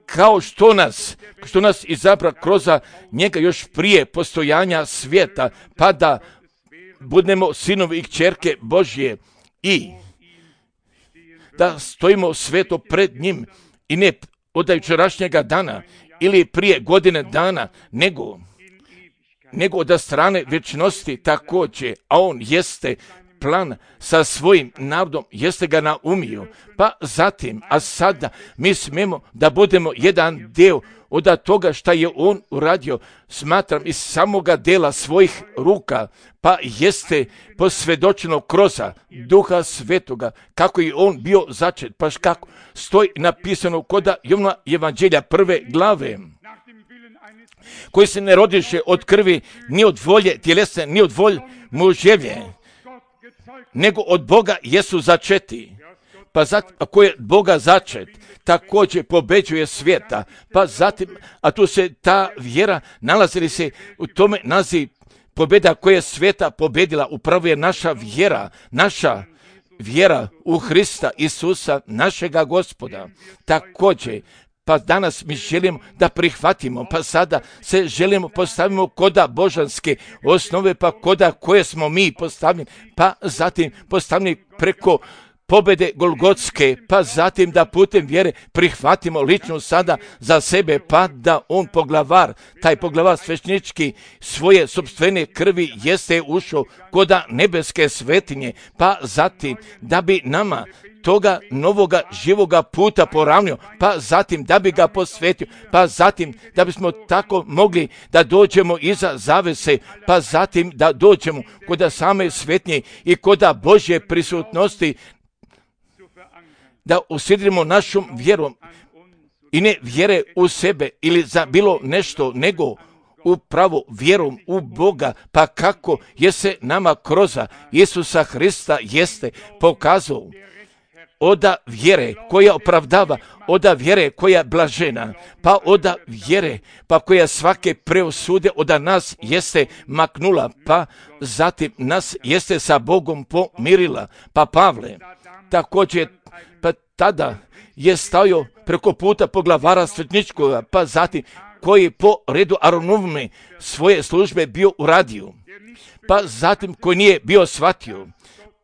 Speaker 1: kao što nas, što nas izabra kroz njega još prije postojanja svijeta, pa da budemo sinovi i kćerke Božje i da stojimo sveto pred njim i ne od jučerašnjega dana ili prije godine dana, nego nego od strane vječnosti također, a on jeste plan sa svojim narodom, jeste ga naumio, pa zatim, a sada mi smemo da budemo jedan dio od toga šta je on uradio, smatram iz samoga dela svojih ruka, pa jeste posvjedočeno kroz Duha Svetoga, kako je on bio začet, pa kako stoji napisano kod Jovana Evanđelja prve glave, koji se ne rodiše od krvi, ni od volje tjelesne, ni od volje muževlje, nego od Boga jesu začeti. Pa zatim, ako je Boga začet, također pobeđuje svijeta. Pa zatim, a tu se ta vjera nalazili se u tome naziv pobjeda koja je svijeta pobedila. Upravo je naša vjera, naša vjera u Hrista Isusa, našega Gospoda. Također, pa danas mi želimo da prihvatimo, pa sada se želimo postavimo koda božanske osnove, pa koda koje smo mi postavljeni, pa zatim postavljeni preko pobjede Golgotske, pa zatim da putem vjere prihvatimo lično sada za sebe, pa da on poglavar, taj poglavar svećnički svoje sopstvene krvi jeste ušao koda nebeske svetinje, pa zatim da bi nama toga novoga živoga puta poravnio, pa zatim da bi ga posvetio, pa zatim da bismo tako mogli da dođemo iza zavese, pa zatim da dođemo kod same svetnje i kod Božje prisutnosti, da usjedimo našom vjerom i ne vjere u sebe ili za bilo nešto, nego upravo vjerom u Boga, pa kako je se nama kroz Isusa Hrista jeste pokazao oda vjere koja opravdava, oda vjere koja je blažena, pa oda vjere pa koja svake preosude oda nas jeste maknula, pa zatim nas jeste sa Bogom pomirila. Pa Pavle također, pa tada je stavio preko puta poglavara svetničkoga, pa zatim koji po redu Aronovne svoje službe bio uradio, pa zatim koji nije bio shvatio,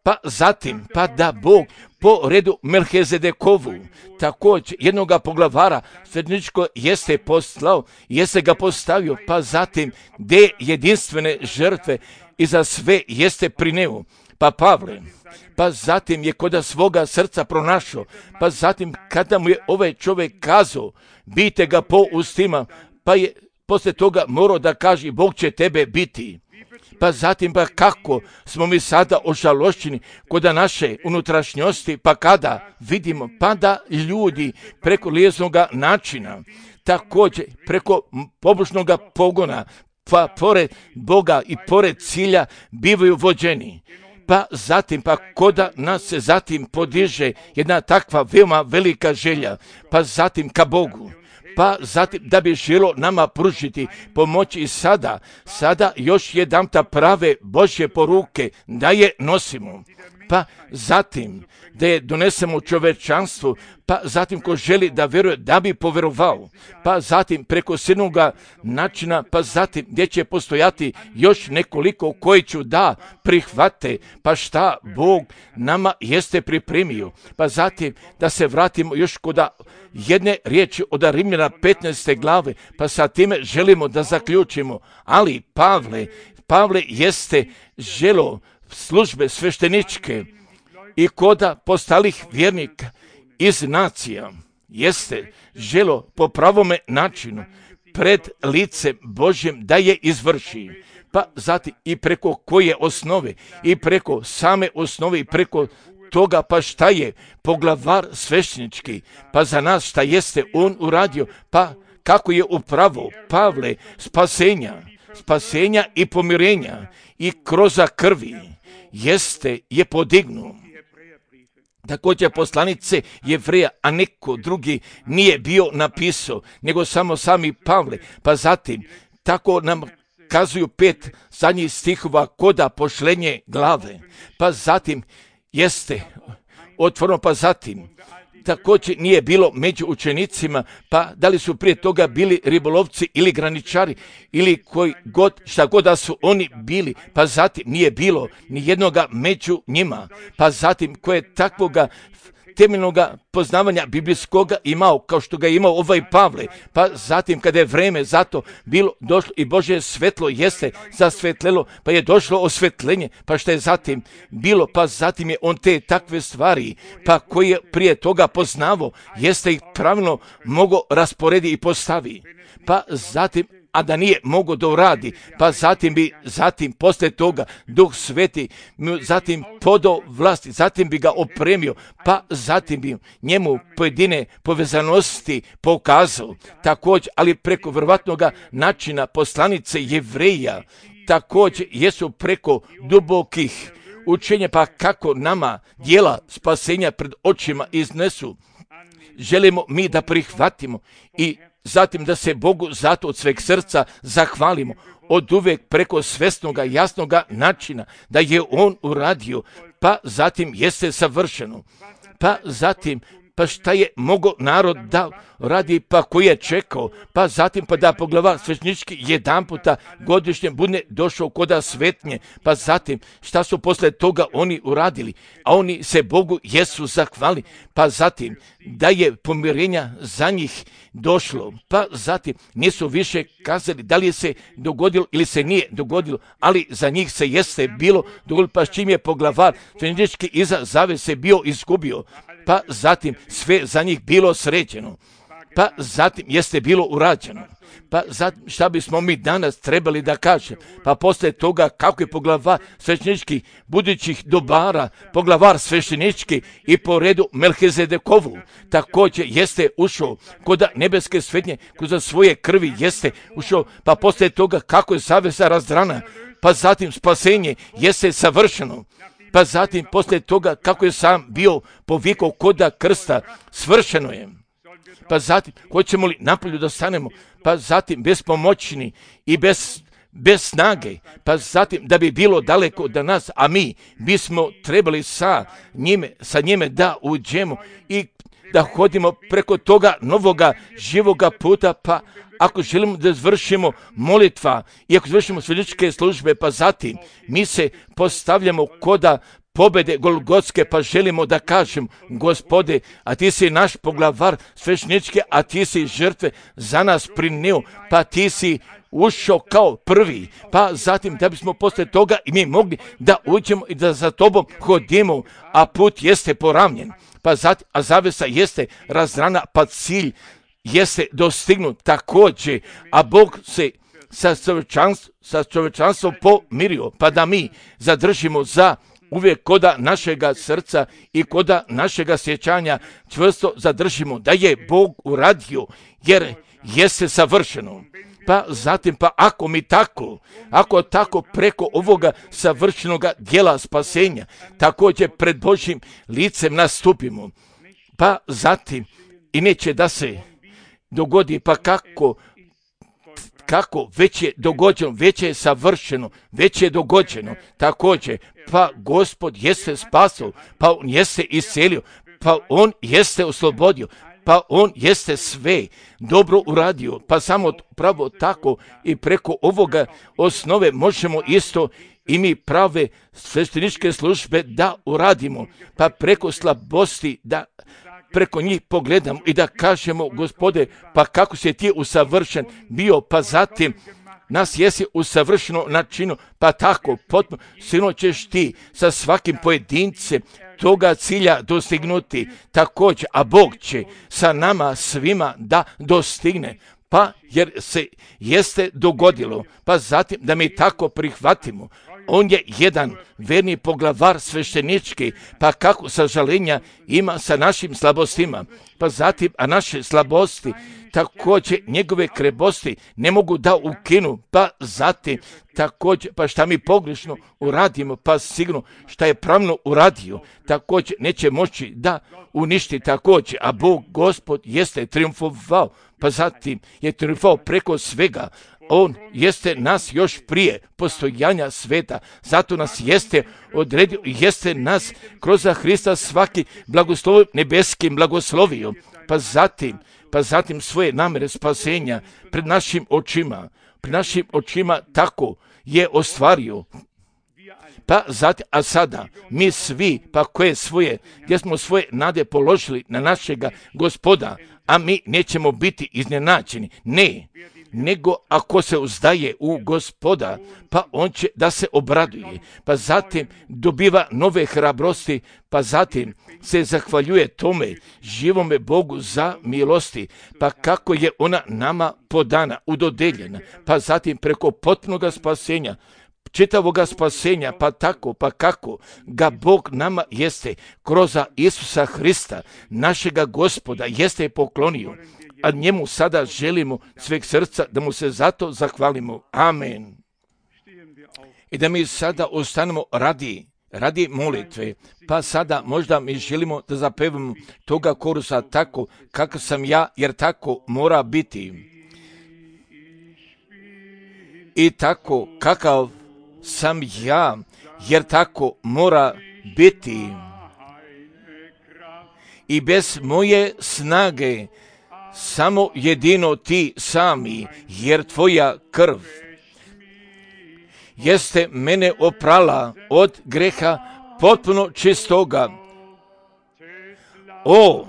Speaker 1: pa zatim pa da Bog po redu Melchizedekovu također jednoga poglavara svetničko jeste poslao, jeste ga postavio, pa zatim de jedinstvene žrtve i za sve jeste prineo. Pa Pavle, pa zatim je kod svoga srca pronašao, pa zatim kada mu je ovaj čovjek kazao, bite ga po ustima, pa je poslije toga morao da kaže, Bog će tebe biti. Pa zatim, pa kako smo mi sada ožalošćeni kod naše unutrašnjosti, pa kada vidimo, pa da ljudi preko lijeznog načina, također preko pobožnog pogona, pa pored Boga i pored cilja bivaju vođeni. Pa zatim, pa koda nas se zatim podiže jedna takva veoma velika želja, pa zatim ka Bogu, pa zatim da bi želo nama pružiti pomoći i sada, sada još jedan ta prave Božje poruke da je nosimo, pa zatim da je donesemo čovečanstvu, pa zatim ko želi da vjeruje da bi povjerovao, pa zatim preko sinoga načina, pa zatim gdje će postojati još nekoliko koji ću da prihvate, pa šta Bog nama jeste pripremio, pa zatim da se vratimo još kod jedne riječi od Rimljana petnaeste glave, pa sa time želimo da zaključimo, ali Pavle, Pavle jeste želo službe svešteničke i koda postalih vjernika iz nacija, jeste želo po pravome načinu pred licem Božjem da je izvrši, pa zatim i preko koje osnove i preko same osnove i preko toga, pa šta je poglavar sveštenički, pa za nas šta jeste on uradio, pa kako je upravo Pavle spasenja, spasenja i pomirenja i kroza krvi jeste je podignuo. Također poslanice Jevreja, a neko drugi nije bio napisao, nego samo sami Pavle, pa zatim tako nam kazuju pet zadnjih stihova koda pošlenje glave, pa zatim jeste otvoreno, pa zatim također nije bilo među učenicima, pa da li su prije toga bili ribolovci ili graničari ili koji god, šta god da su oni bili, pa zatim nije bilo ni jednoga među njima, pa zatim koje takvoga temeljnoga poznavanja biblijskoga imao, kao što ga je imao ovaj Pavle, pa zatim kada je vreme zato bilo došlo i Božje svetlo jeste zasvetlelo, pa je došlo osvetlenje, pa što je zatim bilo, pa zatim je on te takve stvari, pa koje je prije toga poznavo, jeste ih pravilno mogao rasporedi i postavi, pa zatim a da nije mogao da uradi, pa zatim bi, zatim posle toga Duh Sveti, zatim podao vlasti, zatim bi ga opremio, pa zatim bi njemu pojedine povezanosti pokazao, također, ali preko vrvatnoga načina poslanice Jevreja, također jesu preko dubokih učenja, pa kako nama djela spasenja pred očima iznesu, želimo mi da prihvatimo i zatim da se Bogu zato od sveg srca zahvalimo, od uvek preko svesnoga, jasnoga načina da je on uradio, pa zatim jeste savršeno, pa zatim pa šta je mogao narod da radi, pa koji je čekao, pa zatim pa da poglavar sveštenički jedan puta godišnje bude došao koda svetnje, pa zatim šta su posle toga oni uradili, a oni se Bogu jesu zahvali, pa zatim da je pomirenja za njih došlo, pa zatim nisu više kazali da li je se dogodilo ili se nije dogodilo, ali za njih se jeste bilo dogodilo, pa s čim je poglavar sveštenički iza zavese bio izgubio, pa zatim sve za njih bilo sređeno, pa zatim jeste bilo urađeno, pa zatim šta bismo mi danas trebali da kažem, pa posle toga kako je poglavar svešteničkih budućih dobara, poglavar sveštenički i po redu Melhizedekovu, također jeste ušao kod nebeske svetnje, kod svoje krvi jeste ušao, pa posle toga kako je zavesa razdrana, pa zatim spasenje jeste savršeno, pa zatim posle toga kako je sam bio povikao koda krsta, svršeno je. Pa zatim, hoćemo li napolju da stanemo, pa zatim bespomoćni i bez, bez snage, pa zatim da bi bilo daleko od nas, a mi bismo trebali sa njime, sa njime da uđemo i da hodimo preko toga novoga živoga puta, pa ako želimo da izvršimo molitva i ako izvršimo svešteničke službe, pa zatim mi se postavljamo koda pobede Golgotske, pa želimo da kažem, Gospode, a ti si naš poglavar sveštenički, a ti si žrtve za nas prineo, pa ti si ušao kao prvi, pa zatim da bismo posle toga i mi mogli da uđemo i da za tobom hodimo, a put jeste poravnjen, pa zatim, a zavesa jeste razrana, pa cilj jeste dostignut također, a Bog se sa čovečanstvom, sa čovečanstvom pomirio, pa da mi zadržimo za uvijek koda našega srca i koda našega sjećanja čvrsto zadržimo da je Bog uradio, jer jeste savršeno. Pa zatim, pa ako mi tako, ako tako preko ovoga savršenoga djela spasenja, također pred Božjim licem nastupimo, pa zatim i neće da se dogodi, pa kako, kako već je dogođeno, već je savršeno, već je dogođeno, također, pa Gospod jeste spasao, pa on jeste iscelio, pa on jeste oslobodio, pa on jeste sve dobro uradio, pa samo pravo tako i preko ovoga osnove možemo isto i mi prave svešteničke službe da uradimo, pa preko slabosti da preko njih pogledamo i da kažemo, Gospode, pa kako si ti usavršen bio, pa zatim nas jesi usavršeno načinu, pa tako potpuno sigurno ćeš ti sa svakim pojedincem toga cilja dostignuti također, a Bog će sa nama svima da dostigne, pa jer se jeste dogodilo, pa zatim da mi tako prihvatimo, on je jedan verni poglavar sveštenički, pa kako sažalenja ima sa našim slabostima, pa zatim, a naše slabosti, također njegove krebosti ne mogu da ukinu, pa zatim također, pa šta mi pogrešno uradimo, pa sigurno šta je pravno uradio, također neće moći da uništi također, a Bog Gospod jeste triumfovao, pa zatim je triumfovao preko svega. On jeste nas još prije postojanja sveta, zato nas jeste odredio, jeste nas kroz Hrista svaki blagoslov nebeskim blagoslovio, pa zatim, pa zatim svoje namere spasenja pred našim očima, pred našim očima tako je ostvario. Pa zatim, a sada mi svi, pa koje svoje, gdje smo svoje nade položili na našega Gospoda, a mi nećemo biti iznenađeni, ne, nego ako se uzdaje u Gospoda, pa on će da se obraduje, pa zatim dobiva nove hrabrosti, pa zatim se zahvaljuje tome živome Bogu za milosti, pa kako je ona nama podana, udodeljena, pa zatim preko potpunoga spasenja, čitavoga spasenja, pa tako, pa kako ga Bog nama jeste kroz Isusa Hrista, našega Gospoda, jeste poklonio, a njemu sada želimo sveg srca da mu se zato zahvalimo. Amen. I da mi sada ostanemo radi, radi molitve, pa sada možda mi želimo da zapevamo toga korusa tako kako sam ja, jer tako mora biti. I tako kakav sam ja, jer tako mora biti. I bez moje snage, samo jedino ti sami, jer tvoja krv jeste mene oprala od greha potpuno čistoga. O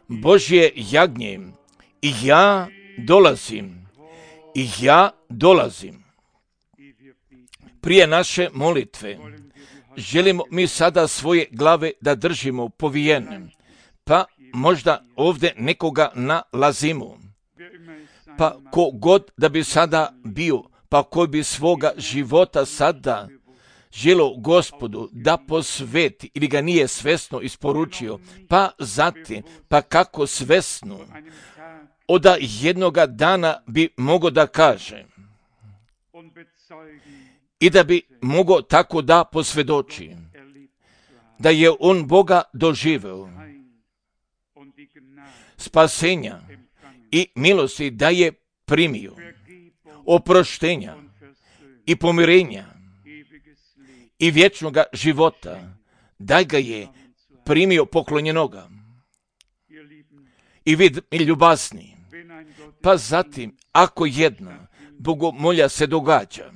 Speaker 1: Božje jagnje, i ja dolazim, i ja dolazim. Prije naše molitve želimo mi sada svoje glave da držimo povijene, pa možda ovdje nekoga nalazimo, pa ko god da bi sada bio, pa koji bi svoga života sada želo Gospodu da posveti ili ga nije svesno isporučio, pa zatim, pa kako svesno, od jednoga dana bi mogo da kaže i da bi mogo tako da posvjedoči da je on Boga doživeo, spasenja i milosti da je primio, oproštenja i pomirenja i vječnoga života, da ga je primio poklonjenoga. I vid mi ljubasni, pa zatim ako jedna bogomolja se događa,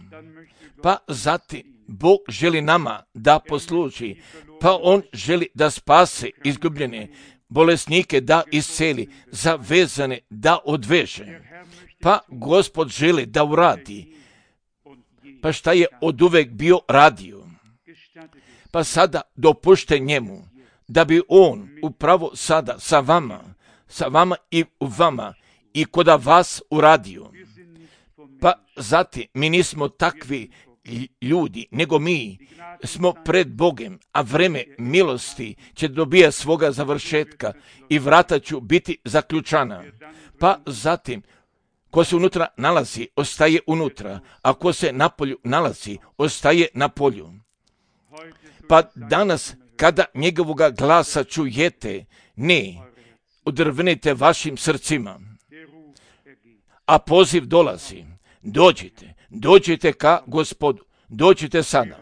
Speaker 1: pa zatim Bog želi nama da posluži, pa on želi da spase izgubljene, bolesnike da isceli, zavezane da odveže, pa Gospod želi da uradi, pa šta je oduvek bio radio, pa sada dopušte njemu da bi on upravo sada sa vama, sa vama i u vama i koda vas uradio. Pa zatim mi nismo takvi ljudi, nego mi smo pred Bogem, a vreme milosti će dobija svoga završetka i vrata ću biti zaključana. Pa zatim, ko se unutra nalazi, ostaje unutra, a ko se na polju nalazi, ostaje na polju. Pa danas, kada njegovoga glasa čujete, ne odrvenite vašim srcima, a poziv dolazi, dođite, dođite ka Gospodu, dođite sada,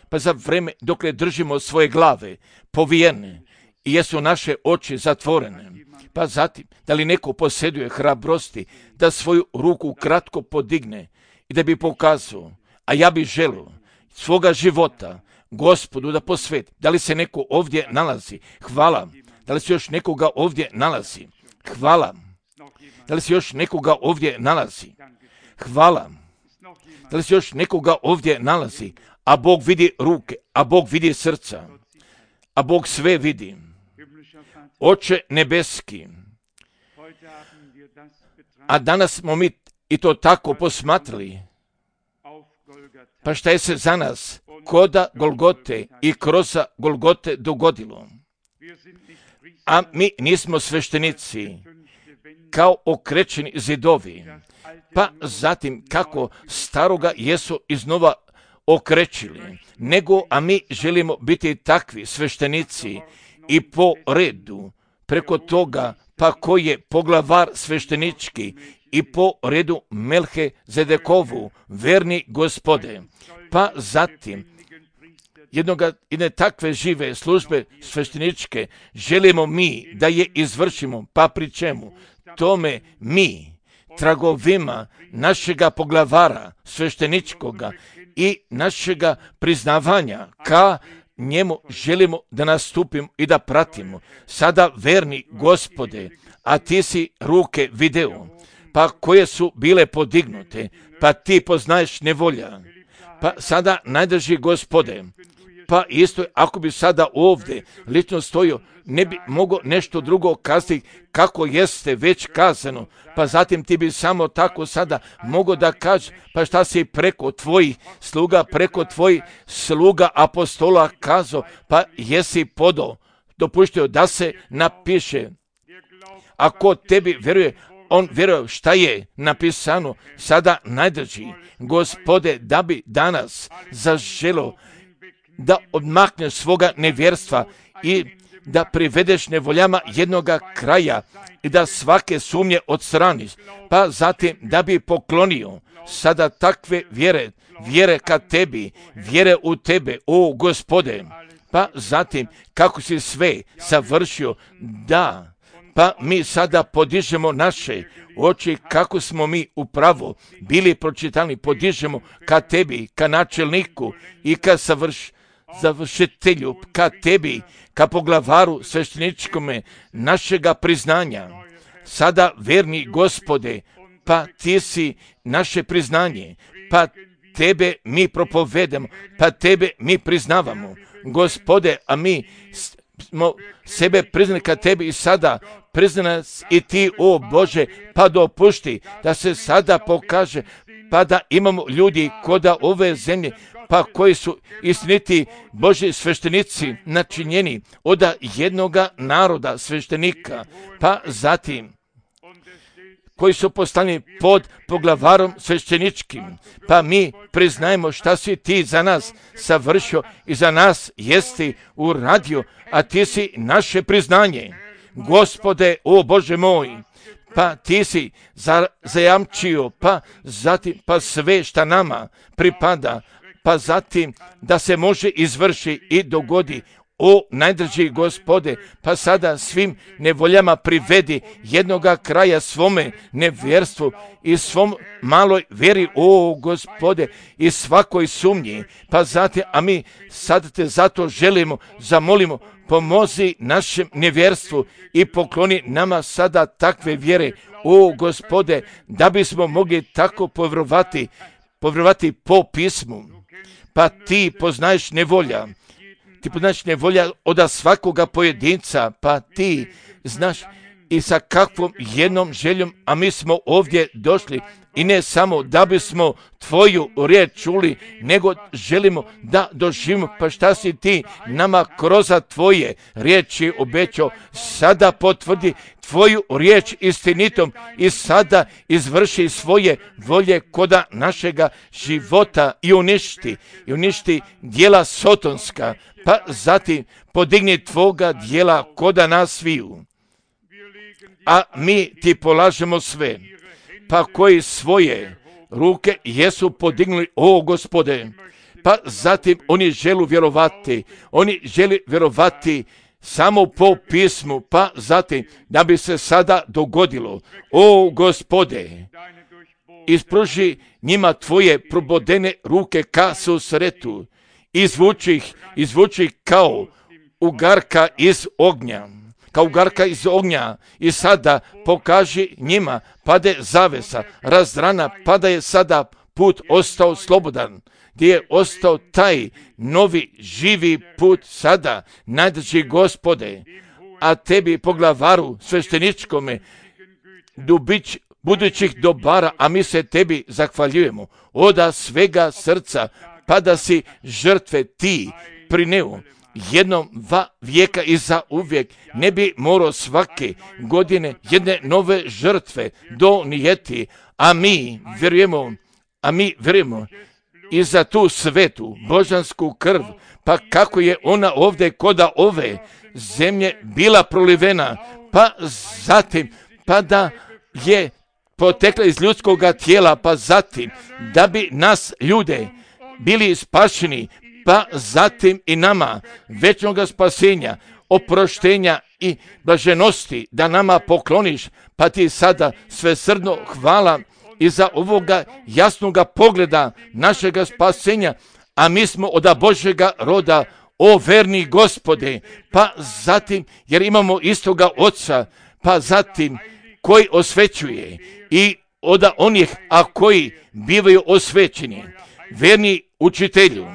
Speaker 1: pa za vreme dokle držimo svoje glave povijene i jesu naše oči zatvorene, pa zatim da li neko posjeduje hrabrosti da svoju ruku kratko podigne i da bi pokazao, a ja bih želio svoga života Gospodu da posveti. Da li se neko ovdje nalazi? Hvala. Da li se još nekoga ovdje nalazi? Hvala. Da li se još nekoga ovdje nalazi? Hvala. Da li se još nekoga ovdje nalazi? A Bog vidi ruke, a Bog vidi srca, a Bog sve vidi. Oče nebeski, a danas smo mi i to tako posmatrali Pa šta je se za nas koda Golgote i kroza Golgote dogodilo? A mi nismo sveštenici kao okrećeni zidovi, pa zatim kako staroga jesu iznova okrećili, nego a mi želimo biti takvi sveštenici i po redu preko toga, pa koji je poglavar sveštenički i po redu Melhe Zedekovu, verni Gospode, pa zatim jednoga, jedne takve žive službe svešteničke želimo mi da je izvršimo, pa pri čemu tome mi tragovima našega poglavara svešteničkoga i našega priznavanja ka njemu želimo da nastupimo i da pratimo. Sada verni Gospode, a ti si ruke video, pa koje su bile podignute, pa ti poznaješ nevolja. Pa sada najdrži Gospode, pa isto ako bi sada ovdje lično stojio, ne bi mogao nešto drugo kazati kako jeste već kazano, pa zatim ti bi samo tako sada mogao da kaže, pa šta si preko tvojih sluga, preko tvojih sluga apostola kazao, pa jesi podao, dopuštio da se napiše. Ako tebi vjeruje, on vjeruje šta je napisano, sada najdrži Gospode, da bi danas zaželo da odmakneš svoga nevjerstva i da privedeš nevoljama jednoga kraja i da svake sumnje odstraniš, pa zatim da bi poklonio sada takve vjere, vjere ka tebi, vjere u tebe, o Gospode, pa zatim kako si sve savršio, da, pa mi sada podižemo naše oči kako smo mi upravo bili pročitani, podižemo ka tebi, ka načelniku i ka savrš, završitelju, ka tebi, ka poglavaru svešteničkome našega priznanja. Sada, verni Gospode, pa ti si naše priznanje, pa tebe mi propovedamo, pa tebe mi priznavamo. Gospode, a mi smo sebe priznali ka tebi i sada priznaj nas i ti, o Bože, pa dopušti da se sada pokaže, pa da imamo ljudi koda ove zemlje, pa koji su istiniti Božji sveštenici načinjeni od jednoga naroda sveštenika, pa zatim koji su postavljeni pod poglavarom svešteničkim, pa mi priznajemo šta si ti za nas savršio i za nas jesti uradio, a ti si naše priznanje. Gospode, o Bože moj, pa ti si zajamčio, pa zatim pa sve šta nama pripada, pa zatim da se može izvrši i dogodi, o najdrži Gospode, pa sada svim nevoljama privedi jednoga kraja svome nevjerstvu i svom maloj vjeri, o Gospode, i svakoj sumnji, pa zatim, a mi sad te zato želimo, zamolimo, pomozi našem nevjerstvu i pokloni nama sada takve vjere, o Gospode, da bismo mogli tako povjerovati, povjerovati po pismu. Pa ti poznaješ nevolja, ti poznaješ nevolja od svakoga pojedinca, pa ti znaš i sa kakvom jednom željom, a mi smo ovdje došli i ne samo da bismo tvoju riječ čuli, nego želimo da doživimo, pa šta si ti nama kroz tvoje riječi obećao, sada potvrdi tvoju riječ istinitom i sada izvrši svoje volje koda našega života i uništi, i uništi djela sotonska, pa zatim podigni tvoga djela koda nas sviju. A mi ti polažemo sve, pa koji svoje ruke jesu podignuli, o Gospode, pa zatim oni žele vjerovati, oni žele vjerovati samo po pismu, pa zatim da bi se sada dogodilo, o Gospode, ispruži njima tvoje probodene ruke ka susretu, izvuči ih, izvuči ih kao ugarka iz ognja, kao ugarka iz ognja, i sada pokaži njima, pade zavesa, razrana, pada je sada put ostao slobodan, gdje je ostao taj novi živi put sada, najdrži Gospode, a tebi poglavaru svešteničkome, dubić budućih dobara, a mi se tebi zahvaljujemo oda svega srca, pa da si žrtve ti prineo jednom dva vijeka i za uvijek, ne bi morao svake godine jedne nove žrtve donijeti, a mi vjerujemo, a mi vjerujemo i za tu svetu božansku krv, pa kako je ona ovdje koda ove zemlje bila prolivena, pa zatim, pa da je potekla iz ljudskoga tijela, pa zatim da bi nas ljude bili spašeni, pa zatim i nama večnoga spasenja, oproštenja i blaženosti da nama pokloniš, pa ti sada svesrdno hvala i za ovoga jasnoga pogleda našega spasenja, a mi smo od Božjega roda, o verni Gospode, pa zatim jer imamo istoga Oca, pa zatim koji osvećuje i od onih, a koji bivaju osvećeni, verni učitelju,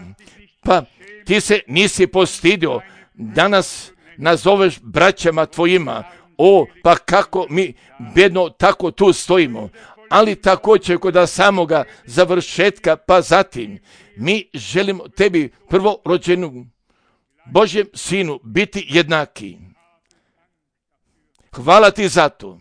Speaker 1: pa ti se nisi postidio, danas nazoveš braćama tvojima, o, pa kako mi bedno tako tu stojimo, ali također kod samoga završetka, pa zatim mi želimo tebi prvorođenu Božjem Sinu biti jednaki. Hvala ti za to.